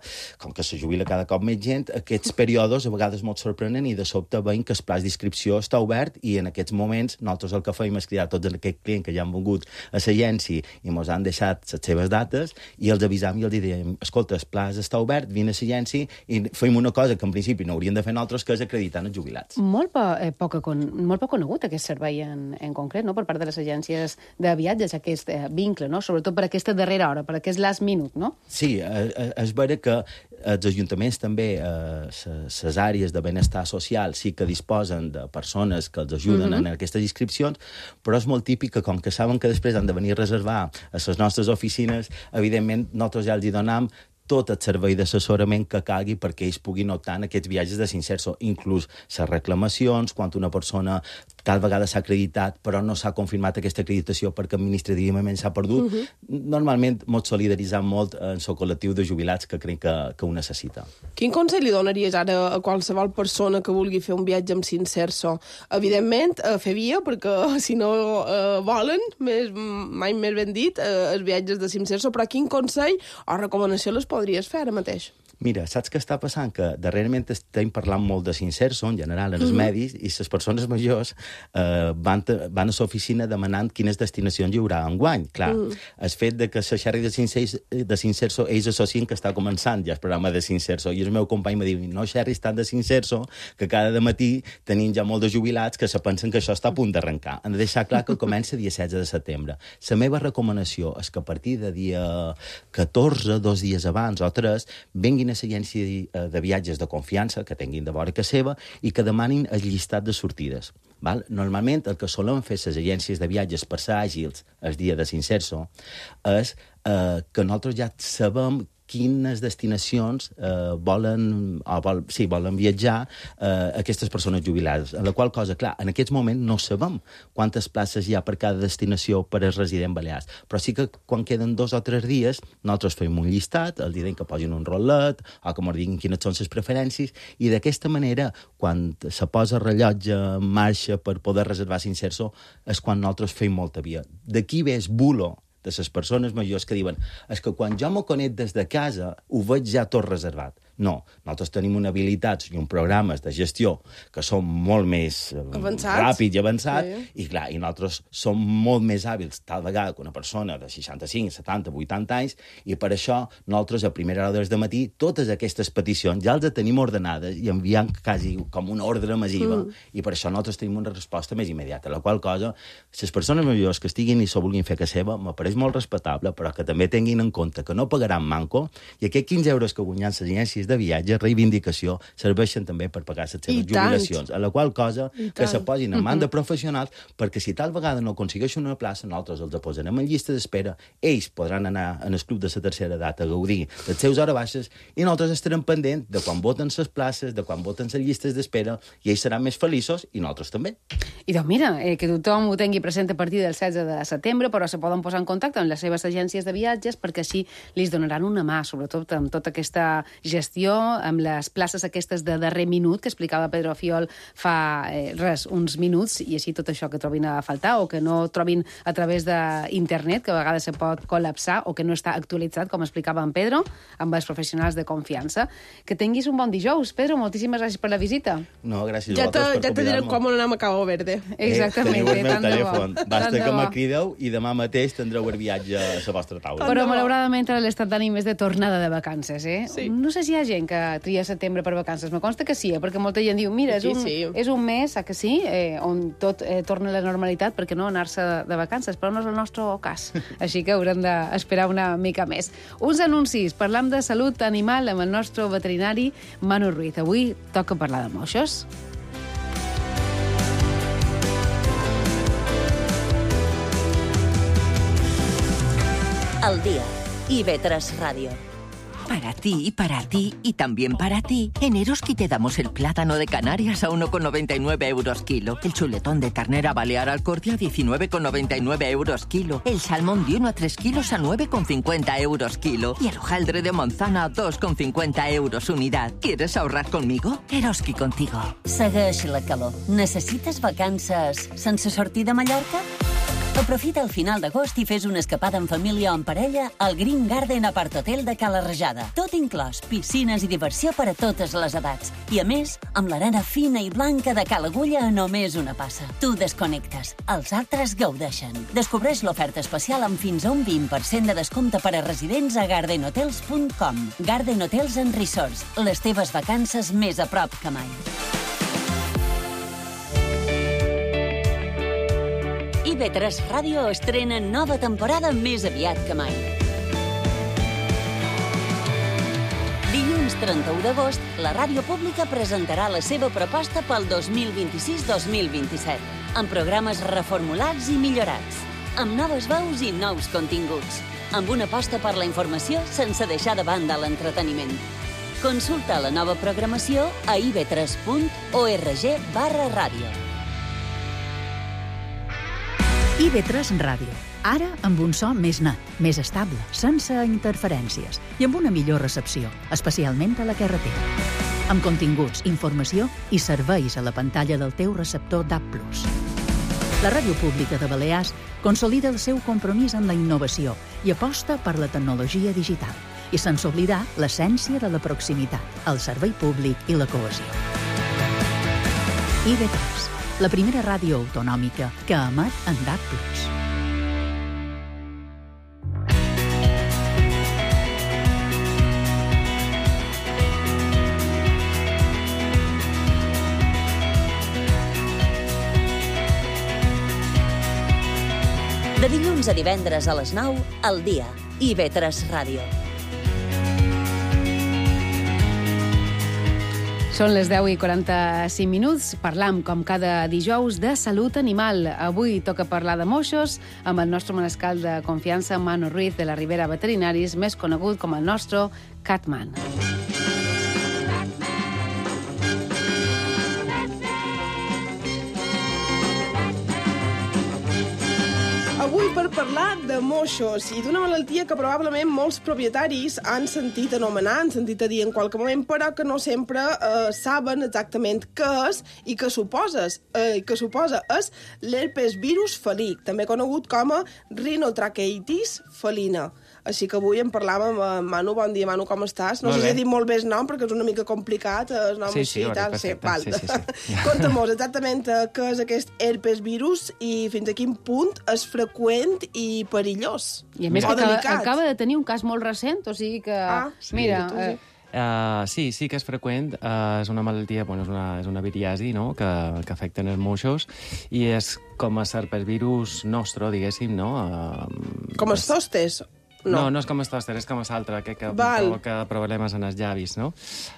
com que se jubila cada cop més gent, aquests períodes a vegades molt sorprenen i de sobte veiem que el pla d'inscripció està obert i en aquests moments nosaltres el que fem és cridar tots aquests clients que ja han vingut a l'agència i ens han deixat les seves dates i els avisam i els diem, escolta, el pla està obert, vine a l'agència i fem una cosa que en principi no hauríem de fer nosaltres, que és acreditar els jubilats. Molt, po, eh, poc, molt poc conegut aquest servei en, en concret, no? Per part de les agències de viatges, aquest vincle, no? Sobretot per aquesta darrera hora, per aquest last minute, no? Sí, eh, és vera que els ajuntaments també, les eh, àrees de benestar social, sí que disposen de persones que els ajuden mm-hmm. en aquestes inscripcions, però és molt típic que, com que saben que després han de venir a reservar a les nostres oficines, evidentment, nosaltres ja els hi donam tot el servei d'assessorament que calgui perquè ells puguin optar en aquests viatges de s'inserso, inclús les reclamacions, quan una persona tal vegada s'ha acreditat però no s'ha confirmat aquesta acreditació perquè administrativament s'ha perdut. Uh-huh. Normalment ens solidaritzem molt en el col·lectiu de jubilats que crec que, que ho necessita. Quin consell li donaries ara a qualsevol persona que vulgui fer un viatge amb s'inserso? Evidentment, a fer via, perquè si no eh, volen, més, mai més ben dit, eh, els viatges de s'inserso, però quin consell o recomanació les podries fer ara mateix? Mira, saps què està passant? Que darrerament estem parlant molt de s'inserso, en general, en els mm-hmm. medis, i les persones majors eh, van, van a l'oficina demanant quines destinacions hi haurà enguany. Clar, mm. el fet de que la xerri de s'inserso, ells associen que està començant ja el programa de s'inserso, i el meu company m'ha dit, no, xerri, estan de s'inserso, que cada matí tenim ja molt de jubilats que se pensen que això està a punt d'arrencar. Han de deixar clar que comença dia setze de setembre. La meva recomanació és que a partir de dia catorze, dos dies abans o tres, venguin a l'agència de viatges de confiança, que tinguin de vora que seva, i que demanin el llistat de sortides. Val? Normalment, el que solen fer les agències de viatges per ser àgils el dia de s'inserso és eh, que nosaltres ja sabem quines destinacions eh, volen, o vol, sí, volen viatjar eh, aquestes persones jubilades. En la qual cosa, clar, en aquests moments no sabem quantes places hi ha per cada destinació per als residents balears, però sí que quan queden dos o tres dies nosaltres fem un llistat, els direm que posin un rotllet o que ens diguin quines són les preferències, i d'aquesta manera, quan se posa rellotge en marxa per poder reservar s'inserso, és quan nosaltres fem molta via. D'aquí ve el bulo de les persones majors que diuen és que quan jo m'ho conec des de casa ho veig ja tot reservat. No, nosaltres tenim una habilitats i un programes de gestió que són molt més avançats. ràpids i avançats, sí. i clar, i nosaltres som molt més hàbils tal vegada que una persona de seixanta-cinc, setanta, vuitanta anys, i per això nosaltres a primera hora de matí totes aquestes peticions ja les tenim ordenades i enviant quasi com una ordre massiva, mm. i per això nosaltres tenim una resposta més immediata, la qual cosa, les persones majors que estiguin i s'ho vulguin fer que seva, m'apareix molt respectable, però que també tinguin en compte que no pagaran manco, i aquests quinze euros que guanyen les agències de viatge, reivindicació, serveixen també per pagar les seves jubilacions, a la qual cosa que se posin en mans de professionals, perquè si tal vegada no aconsegueixen una plaça, nosaltres els posarem en llista d'espera, ells podran anar en el club de la tercera edat a gaudir de les seus hores baixes, i nosaltres estarem pendents de quan voten les places, de quan voten les llistes d'espera, i ells seran més feliços, i nosaltres també. I doncs mira, eh, que tothom ho tingui present a partir del setze de setembre, però se poden posar en contacte amb les seves agències de viatges perquè així li donaran una mà, sobretot amb tota aquesta gestió gestió, amb les places aquestes de darrer minut que explicava Pedro Fiol fa eh, res, uns minuts, i així tot això que trobin a faltar o que no trobin a través d'internet, que a vegades se pot col·lapsar o que no està actualitzat, com explicava en Pedro, amb els professionals de confiança. Que tinguis un bon dijous, Pedro. Moltíssimes gràcies per la visita. No, gràcies ja a vosaltres per ja te diré quan anem a Cabo Verde. Exactament. Eh, teniu el meu tant de bo. telèfon. Basta Tant de que bo. me crideu i demà mateix tindreu el viatge a la vostra taula. Però, malauradament, ara l'estat d'ànim és de tornada de vacances, eh? Sí. No sé si hi ha gent que tria setembre per vacances. Me consta que sí, eh? Perquè molta gent diu, mira, és Sí, un, sí. és un mes, a que sí, eh, on tot eh, torna a la normalitat, perquè no anar-se de vacances, però no és el nostre cas. Així que haurem d'esperar una mica més. Uns anuncis. Parlam de salut animal amb el nostre veterinari Manu Ruiz. Avui toca parlar de moixos. Al día. I V tres Radio. Para ti, para ti y también para ti. En Eroski te damos el plátano de Canarias a uno con noventa y nueve euros kilo. El chuletón de ternera balear al corte a diecinueve con noventa y nueve euros kilo. El salmón de uno a tres kilos a nueve con cincuenta euros kilo. Y el hojaldre de manzana a dos con cincuenta euros unidad. ¿Quieres ahorrar conmigo? Eroski contigo. Segueix la calor. Necessites vacances sense sortir de Mallorca? Aprofita el final d'agost i fes una escapada en família o en parella al Green Garden Apart Hotel de Cala Rajada. Tot inclòs, piscines i diversió per a totes les edats. I a més, amb l'arena fina i blanca de Cala Agulla a només una passa. Tu desconnectes, els altres gaudeixen. Descobreix l'oferta especial amb fins a un vint per cent de descompte per a residents a garden hotels punt com. Garden Hotels and Resorts, les teves vacances més a prop que mai. I V tres Ràdio estrena nova temporada més aviat que mai. Dilluns trenta-u d'agost, la ràdio pública presentarà la seva proposta pel dos mil vint-i-sis dos mil vint-i-set, amb programes reformulats i millorats, amb noves veus i nous continguts, amb una aposta per la informació sense deixar de banda l'entreteniment. Consulta la nova programació a i v tres punt org barra ràdio. I V tres Ràdio. Ara amb un so més net, més estable, sense interferències i amb una millor recepció, especialment a la carretera. Amb continguts, informació i serveis a la pantalla del teu receptor D A B plus. La Ràdio Pública de Balears consolida el seu compromís amb la innovació i aposta per la tecnologia digital i sense oblidar l'essència de la proximitat, el servei públic i la cohesió. I V tres, la primera ràdio autonòmica que emet en D A B plus. De dilluns a divendres a les nou, al dia. I V tres Ràdio. Són les deu i quaranta-cinc minuts. Parlam, com cada dijous, de salut animal. Avui toca parlar de moixos amb el nostre manescal de confiança, Manu Ruiz, de la Ribera Veterinaris, més conegut com el nostre Catman. Avui per parlar de moixos i d'una malaltia que probablement molts propietaris han sentit anomenar, han sentit a dir en qualque moment, però que no sempre eh, saben exactament què és i què suposa. Eh, què suposa és l'herpes virus felí, també conegut com a rinotraqueitis felina. Així que avui en parlàvem amb Manu. Bon dia, Manu, com estàs? No Molt sé si bé. he dit molt bé el nom, perquè és una mica complicat, el nom Sí, així sí, i ho tal. has dit val. perfecte. Sí, sí, sí. Conta-mos exactament eh, què és aquest herpes virus i fins a quin punt és freqüent i perillós. I a més o que acaba, delicat. acaba de tenir un cas molt recent, o sigui que... Ah, sí, mira, tu sí. eh, Uh, sí, sí que és freqüent. Uh, és una malaltia, bueno, és una, és una viriasi, no?, que, que afecta els moixos i és com a serpesvirus nostre, diguéssim, no? Uh, Com els zostes? No, no, no és com el tòster, és com l'altre, que, que Val. provoca problemes en els llavis, no?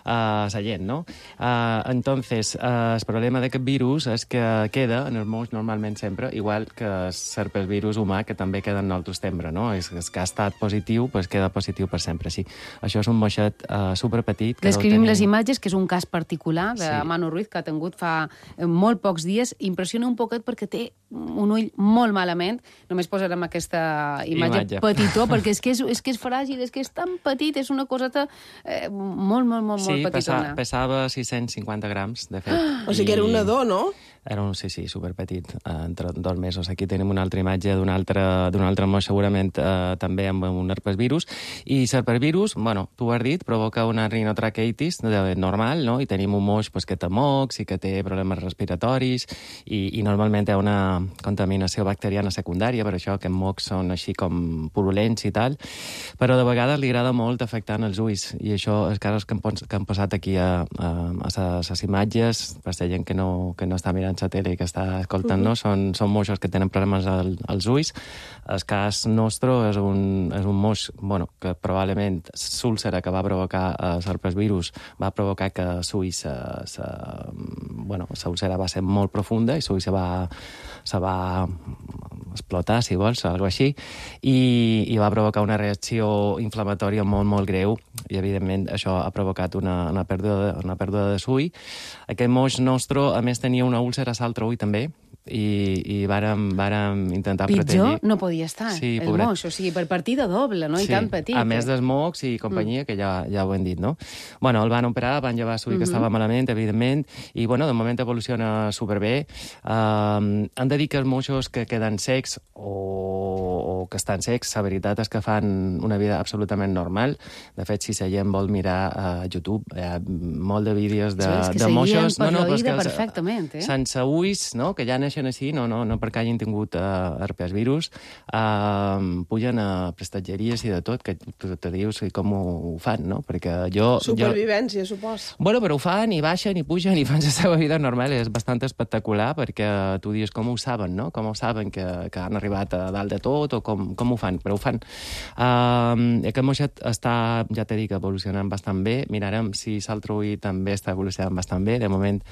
Uh, la gent, no? Uh, entonces, uh, el problema d'aquest virus és que queda en els moix normalment sempre, igual que el serpesvirus humà, que també queda en el tostembre, no? És, és que ha estat positiu, pues queda positiu per sempre, sí. Això és un moixet uh, superpetit. Que descrivim deu tenir... les imatges, que és un cas particular de Sí. Manu Ruiz, que ha tingut fa eh, molt pocs dies. Impressiona un poquet perquè té un ull molt malament. Només posarem aquesta imatge, Imatge. petitó, perquè és que és, és que és fràgil, és que és tan petit, és una coseta eh, molt, molt, molt, sí, molt petitona. Sí, pesava sis-cents cinquanta grams, de fet. Ah, o sigui que era un nadó, no? Era un, sí, sí, superpetit, eh, entre dos mesos. Aquí tenim una altra imatge d'un altre, d'un altre moix, segurament eh, també amb un herpesvirus. I l'herpesvirus, bueno, tu ho has dit, provoca una rinotraqueitis normal, no? I tenim un moix pues, que té mocs i que té problemes respiratoris i, i normalment hi ha una contaminació bacteriana secundària, per això que mocs són així com purulents i tal, però de vegades li agrada molt afectar els ulls i això és casos que han, que han posat aquí a, a, a les imatges, per la gent que no, que no està mirant la tele i que està escoltant-nos, uh -huh. són, són moixos que tenen problemes al, als ulls. El cas nostre és un, és un moix bueno, que probablement l'úlcera que va provocar eh, l'herpesvirus va provocar que l'ull se, se, bueno, l'úlcera va ser molt profunda i l'ull se va, se va explotar, si vols, o alguna cosa així, i, i va provocar una reacció inflamatòria molt, molt greu, i evidentment això ha provocat una, una pèrdua de, una pèrdua de l'ull. Aquest moix nostre, a més, tenia una úlcera a l'altre ull també, i, i vàrem, vàrem intentar Pitjor protegir. no podia estar, sí, el pobret. moix, o sigui, per partida doble, no? I Sí, tan petit. a més dels mocs i companyia, mm. que ja, ja ho hem dit, no? Bueno, el van operar, van llevar l'ull mm -hmm. que estava malament, evidentment, i, bueno, de moment evoluciona superbé. Uh, han de dir que els moixos que queden secs o, o que estan secs, la veritat és que fan una vida absolutament normal. De fet, si la gent vol mirar a YouTube, hi ha molt de vídeos de, sí, de moixos... No, no, però és que perfectament, eh? Sense ulls, no?, que ja neixen així, no, no, no perquè hagin tingut uh, herpesvirus, uh, pugen a prestatgeries i de tot, que tu te dius com ho, ho fan, no? Perquè jo... Supervivència, jo... supos. Bueno, però ho fan, i baixen, i pugen, i fan la seva vida normal. És bastant espectacular, perquè tu dius com ho saben, no? Com ho saben que, que han arribat a dalt de tot, o com, com ho fan, però ho fan. Uh, aquest moixet està, ja t'he dit, evolucionant bastant bé. Mirarem si l'altre ull també està evolucionant bastant bé. De moment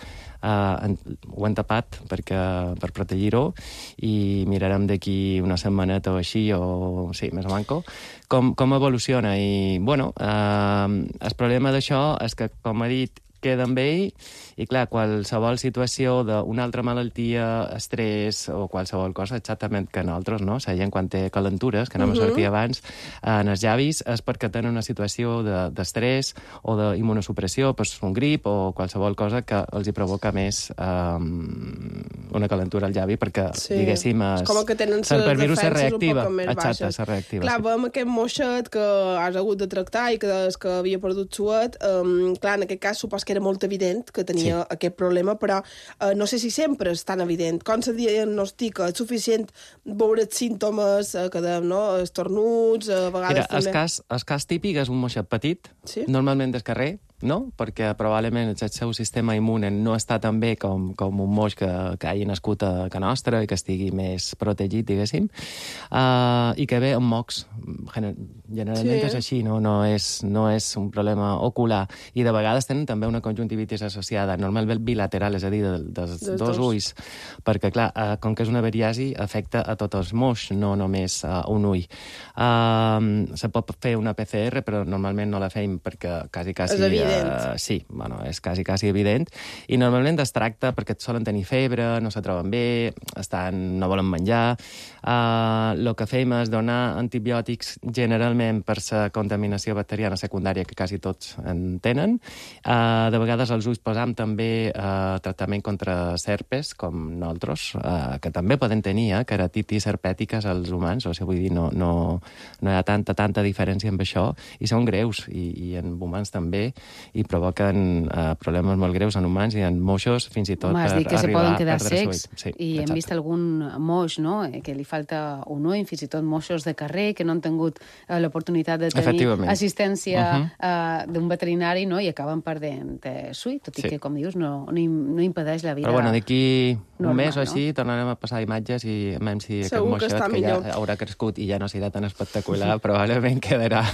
uh, ho hem tapat perquè, per protegir-ho, i mirarem d'aquí una setmaneta o així, o sí, més o manco, com, com evoluciona. I, bueno, eh, el problema d'això és que, com he dit, queda amb ell, i clar, qualsevol situació d'una altra malaltia, estrès o qualsevol cosa, exactament que nosaltres, no? La gent quan té calentures, que no m'ha sortit abans, en els llavis, és perquè tenen una situació d'estrès de, o d'immunosupressió, pues, un grip o qualsevol cosa que els hi provoca més um, una calentura al llavi, perquè, sí. diguéssim, es, és com que tenen el virus se reactiva. Un Exacte, se reactiva. Clar, sí. veiem aquest moixet que has hagut de tractar i que, que havia perdut suet. Um, clar, en aquest cas supos que era molt evident que tenia sí. aquest problema, però uh, no sé si sempre és tan evident. Com se diagnostica? És suficient veure els símptomes uh, que dèiem, no? Estornuts, a vegades Mira, també... El cas, el cas típic és un moixet petit, sí? normalment del carrer, no? Perquè probablement el seu sistema immune no està tan bé com, com un moix que, que hagi nascut a casa nostra i que estigui més protegit, diguéssim, uh, i que ve amb mocs. Generalment sí. és així, no? No, és, no és un problema ocular. I de vegades tenen també una conjuntivitis associada, normalment bilateral, és a dir, de, de, dels dos, dos ulls, perquè, clar, uh, com que és una veriasi, afecta a tots els moix, no només a un ull. Uh, se pot fer una P C R, però normalment no la feim perquè quasi, quasi... Uh, sí, bueno, és quasi, quasi evident. I normalment es tracta perquè solen tenir febre, no se troben bé, estan, no volen menjar. El uh, que fem és donar antibiòtics generalment per la contaminació bacteriana secundària, que quasi tots en tenen. Uh, de vegades als ulls posam també uh, tractament contra serpes, com nosaltres, uh, que també poden tenir eh, keratitis herpètiques als humans, o sigui, vull dir, no, no, no hi ha tanta, tanta diferència amb això, i són greus, i, i en humans també, i provoquen uh, problemes molt greus en humans i en moixos, fins i tot Home, per que arribar se poden quedar a perdre secs, sí, i exacte. hem vist algun moix, no?, que li falta un ull, fins i tot moixos de carrer que no han tingut uh, l'oportunitat de tenir assistència uh -huh. uh, d'un veterinari, no?, i acaben perdent eh, l'ull, tot i sí. que, com dius, no, no, no impedeix la vida. Però bueno, d'aquí un mes o així no? tornarem a passar imatges i a veure si Segur aquest moixet, que, que ja haurà crescut i ja no serà tan espectacular, probablement quedarà,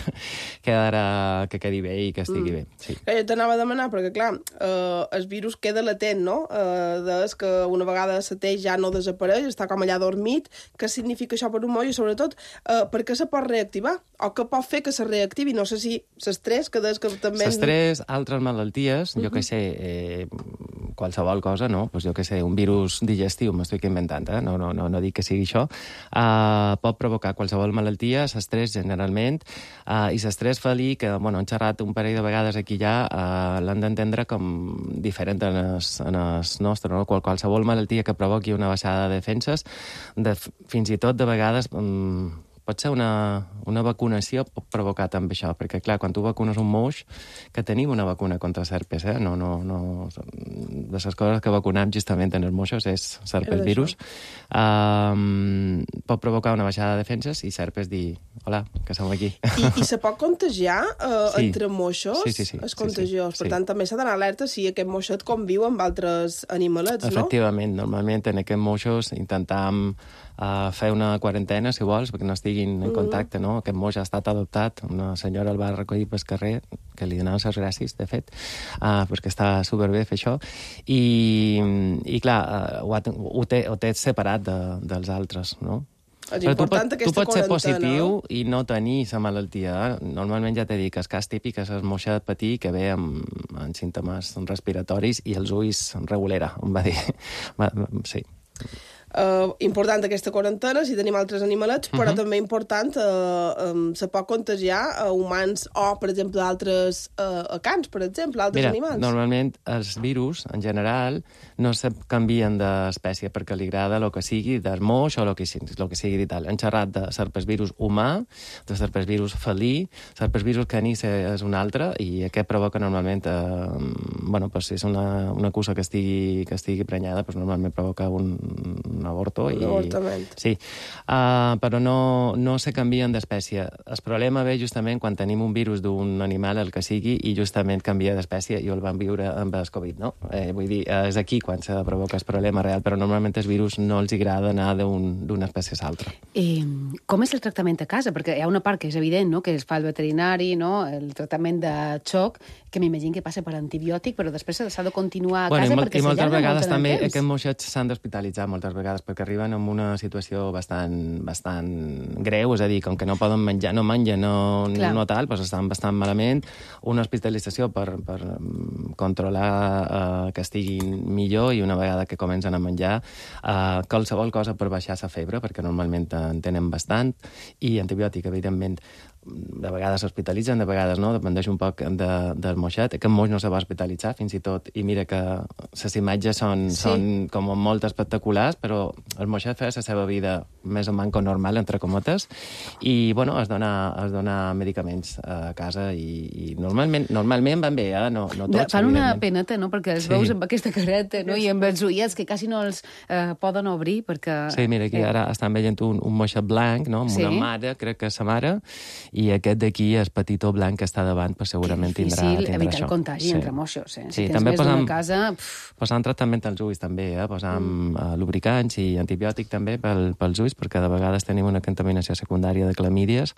quedarà que quedi bé i que estigui mm. bé. Sí. Jo t'anava a demanar, perquè, clar, eh, el virus queda latent, no? Eh, des que una vegada la teix ja no desapareix, està com allà dormit. Què significa això per un moll? I, sobretot, eh, per què se pot reactivar? O què pot fer que se reactivi? No sé si l'estrès, que des que també... L'estrès, altres malalties, uh -huh. jo què sé, eh, qualsevol cosa, no? Pues jo què sé, un virus digestiu, m'estic inventant, eh? No, no, no, no dic que sigui això, uh, pot provocar qualsevol malaltia, l'estrès generalment, uh, i l'estrès felí, que bueno, hem xerrat un parell de vegades aquí ja, uh, l'han d'entendre com diferent en es, en es nostre, no? Qual, qualsevol malaltia que provoqui una baixada de defenses, de, fins i tot de vegades... Um, pot ser una, una vacunació pot provocar també això, perquè, clar, quan tu vacunes un moix, que tenim una vacuna contra serpes, eh? No, no, no... De les coses que vacunem justament en els moixos és serpes virus. Um, pot provocar una baixada de defenses i serpes dir, hola, que som aquí. I, i se pot contagiar uh, sí. entre moixos? Sí, sí, sí. És contagiós. Sí, sí. Per tant, sí. també s'ha d'anar alerta si aquest moixet conviu amb altres animalets, no? Efectivament. Normalment en aquests moixos intentam uh, fer una quarantena, si vols, perquè no estiguin en contacte, no? Aquest moix ha estat adoptat, una senyora el va recollir pel carrer, que li donaven les gràcies, de fet, uh, perquè està superbé fer això, i, i clar, uh, ho, ha, ho, té, ho té separat de, dels altres, no? És important tu, aquesta tu pots ser positiu no? i no tenir la malaltia. Normalment ja t'he dit que el cas típic és el moixet petit que ve amb, amb símptomes respiratoris i els ulls regulera, em va dir. Sí. Uh, important aquesta quarantena si tenim altres animalets, però uh -huh. també important uh, um, se pot contagiar a humans o, per exemple, altres uh, a cans, per exemple, altres Mira, animals. Normalment els virus, en general, no se canvien d'espècie perquè li agrada el que sigui, del moix o el que, el que sigui i tal. Hem xerrat de serpesvirus humà, de serpesvirus felí, serpesvirus caní és un altre, i aquest provoca normalment, eh, bueno, pues, si és una, una cussa que estigui, que estigui prenyada, pues, normalment provoca un un avorto. Un i... avortament. Sí, uh, però no, no se canvien d'espècie. El problema ve justament quan tenim un virus d'un animal, el que sigui, i justament canvia d'espècie, i el van viure amb el Covid, no? Eh, vull dir, és aquí quan se provoca el problema real, però normalment els virus no els agrada anar d'una espècie a l'altra. Eh, com és el tractament a casa? Perquè hi ha una part que és evident, no?, que es fa el veterinari, no?, el tractament de xoc, que m'imagino que passa per antibiòtic, però després s'ha de continuar a bueno, casa i, perquè i moltes s'allarga vegades molt en el també temps. aquests moixets s'han d'hospitalitzar moltes vegades perquè arriben en una situació bastant, bastant greu, és a dir, com que no poden menjar, no mengen, no, no tal, doncs estan bastant malament. Una hospitalització per, per controlar eh, que estiguin millor, i una vegada que comencen a menjar, eh, qualsevol cosa per baixar la febre, perquè normalment en tenen bastant, i antibiòtic, evidentment. De vegades s'hospitalitzen, de vegades no, dependeix un poc de, del moixet. Aquest moix no se va hospitalitzar, fins i tot, i mira que les imatges són, sí. són com molt espectaculars, però el moixet feia la seva vida més o manco normal, entre comotes, i, bueno, es dona, es dona medicaments a casa, i, i normalment, normalment van bé, eh? No, no tots, fan una peneta, no?, perquè els sí. veus amb aquesta careta, no?, i amb els ullets que quasi no els eh, poden obrir, perquè... Sí, mira, aquí eh... ara estan veient un, un moixet blanc, no?, amb sí. una mare, crec que és sa mare, i aquest d'aquí, el petitó blanc que està davant, pues segurament tindrà, tindrà això. Que difícil evitar el contagi sí. entre moixos, eh? Sí, si tens també més posam, d'una casa... Pff. Posant tractament als ulls, també, eh? Posam mm. uh, lubricants i antibiòtic, també, pel, pels ulls, perquè de vegades tenim una contaminació secundària de clamídies,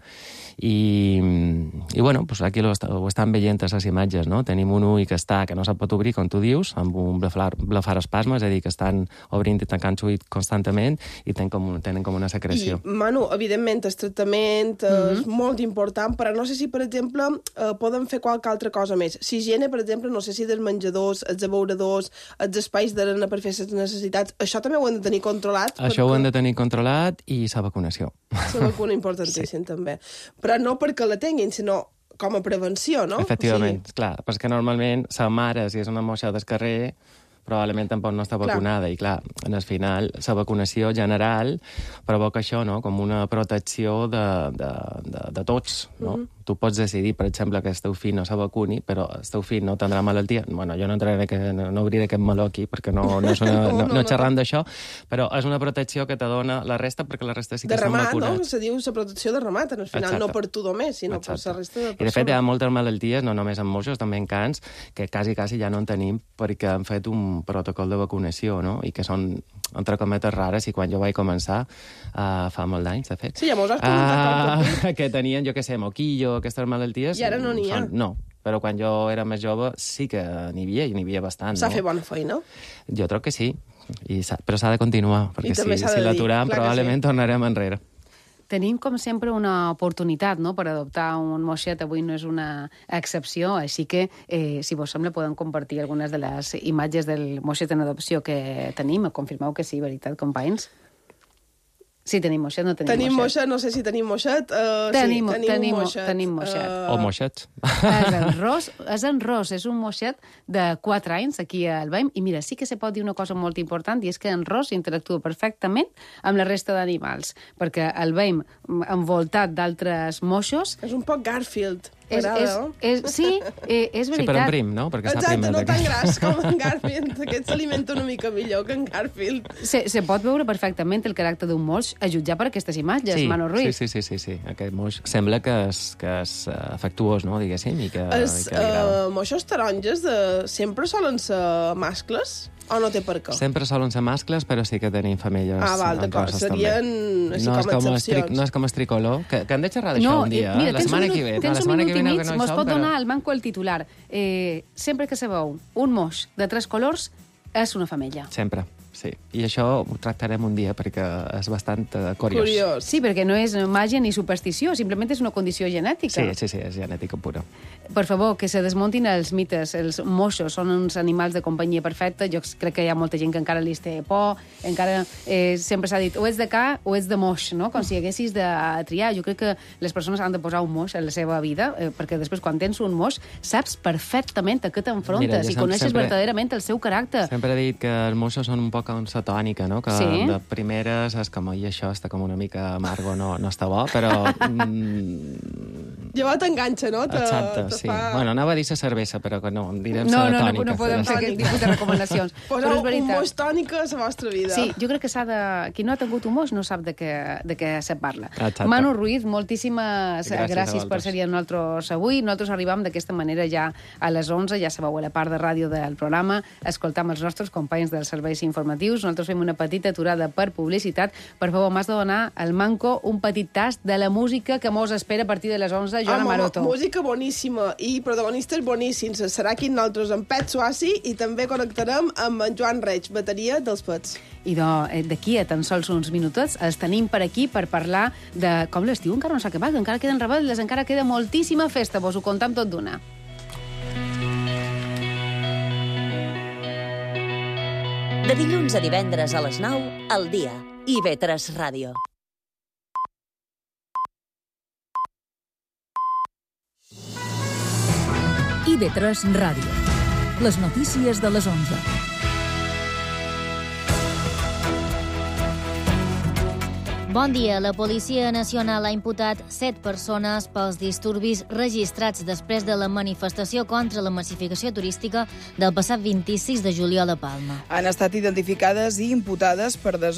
i, i bueno, pues aquí ho, ho estan veient a les imatges, no? Tenim un ull que està, que no se pot obrir, com tu dius, amb un blefarospasme, és a dir, que estan obrint i tancant l'ull constantment, i tenen com, tenen com una secreció. I, Manu, evidentment, el tractament mm-hmm. és molt important, però no sé si, per exemple, eh, poden fer qualque altra cosa més. Si higiene, per exemple, no sé si dels menjadors, els abeuradors, els espais d'arena per fer les necessitats, això també ho hem de tenir controlat? Això perquè... ho hem de tenir controlat, i la vacunació. La vacuna importantíssim, sí. també. Però no perquè la tinguin, sinó com a prevenció, no? Efectivament, o sigui... clar, perquè normalment la mare, si és una moixa del carrer, probablement tampoc no està vacunada, clar. I clar, en el final, la vacunació general provoca això, no?, com una protecció de, de, de, de tots, no? Mm-hmm. Tu pots decidir, per exemple, que el teu fill no se vacuni, però el teu fill no tindrà malaltia. Bueno, jo no entraré, que, no, no obriré aquest meló aquí, perquè no, no, no, no, no, no xerram d'això, però és una protecció que te dona la resta, perquè la resta sí que de són remat, vacunats. No? Se diu la protecció de remat, en el final, exacte. No per tu només, sinó exacte. Per la resta de persones. I de fet hi ha moltes malalties, no només en moixos, també en cans, que quasi, quasi ja no en tenim, perquè han fet un protocol de vacunació, no?, i que són, entre cometes, rares, i quan jo vaig començar, uh, fa molt d'anys, de fet, sí, ja mos has preguntat uh, que tenien, jo què sé, moquillo, aquestes malalties... I ara no n'hi ha. Són, no, però quan jo era més jove sí que n'hi havia, i n'hi havia bastant. S'ha no? fet bona feina? Jo crec que sí, I però s'ha de continuar, perquè si, si l'aturem probablement sí. tornarem enrere. Tenim, com sempre, una oportunitat, no?, per adoptar un moixet. Avui no és una excepció, així que, eh, si vos sembla, podem compartir algunes de les imatges del moixet en adopció que tenim. Confirmeu que sí, veritat, companys? Sí, tenim moixet, no tenim, tenim moixet. moixet. No sé si tenim moixet. Uh, tenim, sí, tenim, tenim, moixet. tenim moixet. Uh... O moixets. És en ros, és en ros, és un moixet de quatre anys aquí al Veim, i mira, sí que se pot dir una cosa molt important, i és que en ros interactua perfectament amb la resta d'animals, perquè el Veim, envoltat d'altres moixos... És un poc Garfield. És, és, és, sí, eh, és veritat. Sí, però en prim, no? Perquè s'ha Exacte, primat. no tan gras com en Garfield. Aquest s'alimenta una mica millor que en Garfield. Se, se pot veure perfectament el caràcter d'un moix a jutjar per aquestes imatges, sí, Manu Ruiz. Sí, sí, sí, sí, sí. Aquest moix sembla que és, que és uh, afectuós, no?, diguéssim, i que, Els i que li agrada. uh, moixos taronges de... sempre solen ser mascles? O no té per què? Sempre solen ser mascles, però sí que tenim femelles. Ah, val, d'acord. Serien així no com excepcions. No és com el tricolor, que, que hem de xerrar d'això no, un dia, eh, mira, la setmana que ve. Tens la un setmana minut que i ve mig, no, no mos som, pot però... donar al manco el titular. Eh, sempre que sabeu un moix de tres colors, és una femella. Sempre, sí. I això ho tractarem un dia, perquè és bastant uh, curiós. Curiós. Sí, perquè no és màgia ni superstició, simplement és una condició genètica. Sí, sí, sí, és genètica pura. Per favor, que se desmuntin els mites. Els moixos són uns animals de companyia perfecta. Jo crec que hi ha molta gent que encara li té por, encara eh, sempre s'ha dit o ets de ca o ets de moix, no? Com si haguessis de triar. Jo crec que les persones han de posar un moix en la seva vida, eh, perquè després, quan tens un moix, saps perfectament a què t'enfrontes i coneixes sempre, verdaderament el seu caràcter. Sempre he dit que els moixos són un poc com sa tònica, no? Que sí? de primeres és com, i això està com una mica amargo, no, no està bo, però... Mm, llavors t'enganxa, no? Te, exacte, te sí. fa... Bueno, anava a dir sa cervesa, però que no, direm no, sa no, tònica. No, no podem fer aquest tipus de recomanacions. Poseu un moix tònica a la vostra vida. Sí, jo crec que s'ha de... Qui no ha tingut un moix no sap de què, de què se parla. Exacte. Manu Ruiz, moltíssimes gràcies, gràcies per ser amb nosaltres avui. Nosaltres arribam d'aquesta manera ja a les onze, ja sabeu, a la part de ràdio del programa, escoltam els nostres companys dels serveis informatius. Nosaltres fem una petita aturada per publicitat. Per favor, m'has de donar al Manco un petit tast de la música que mos espera a partir de les onze, Joana Maroto. Música boníssima i protagonistes boníssims. Serà aquí nosaltres amb Pet Suassi i també connectarem amb en Joan Reig, bateria dels Pets. I d'aquí a tan sols uns minutets els tenim per aquí per parlar de com l'estiu encara no s'ha acabat, encara queden rebel·les, encara queda moltíssima festa, vos ho contam tot d'una. De dilluns a divendres a les nou, al dia. I ve tres Ràdio. I ve tres Ràdio. Les notícies de les onze. Bon dia. La Policia Nacional ha imputat set persones pels disturbis registrats després de la manifestació contra la massificació turística del passat vint-i-sis de juliol a Palma. Han estat identificades i imputades per des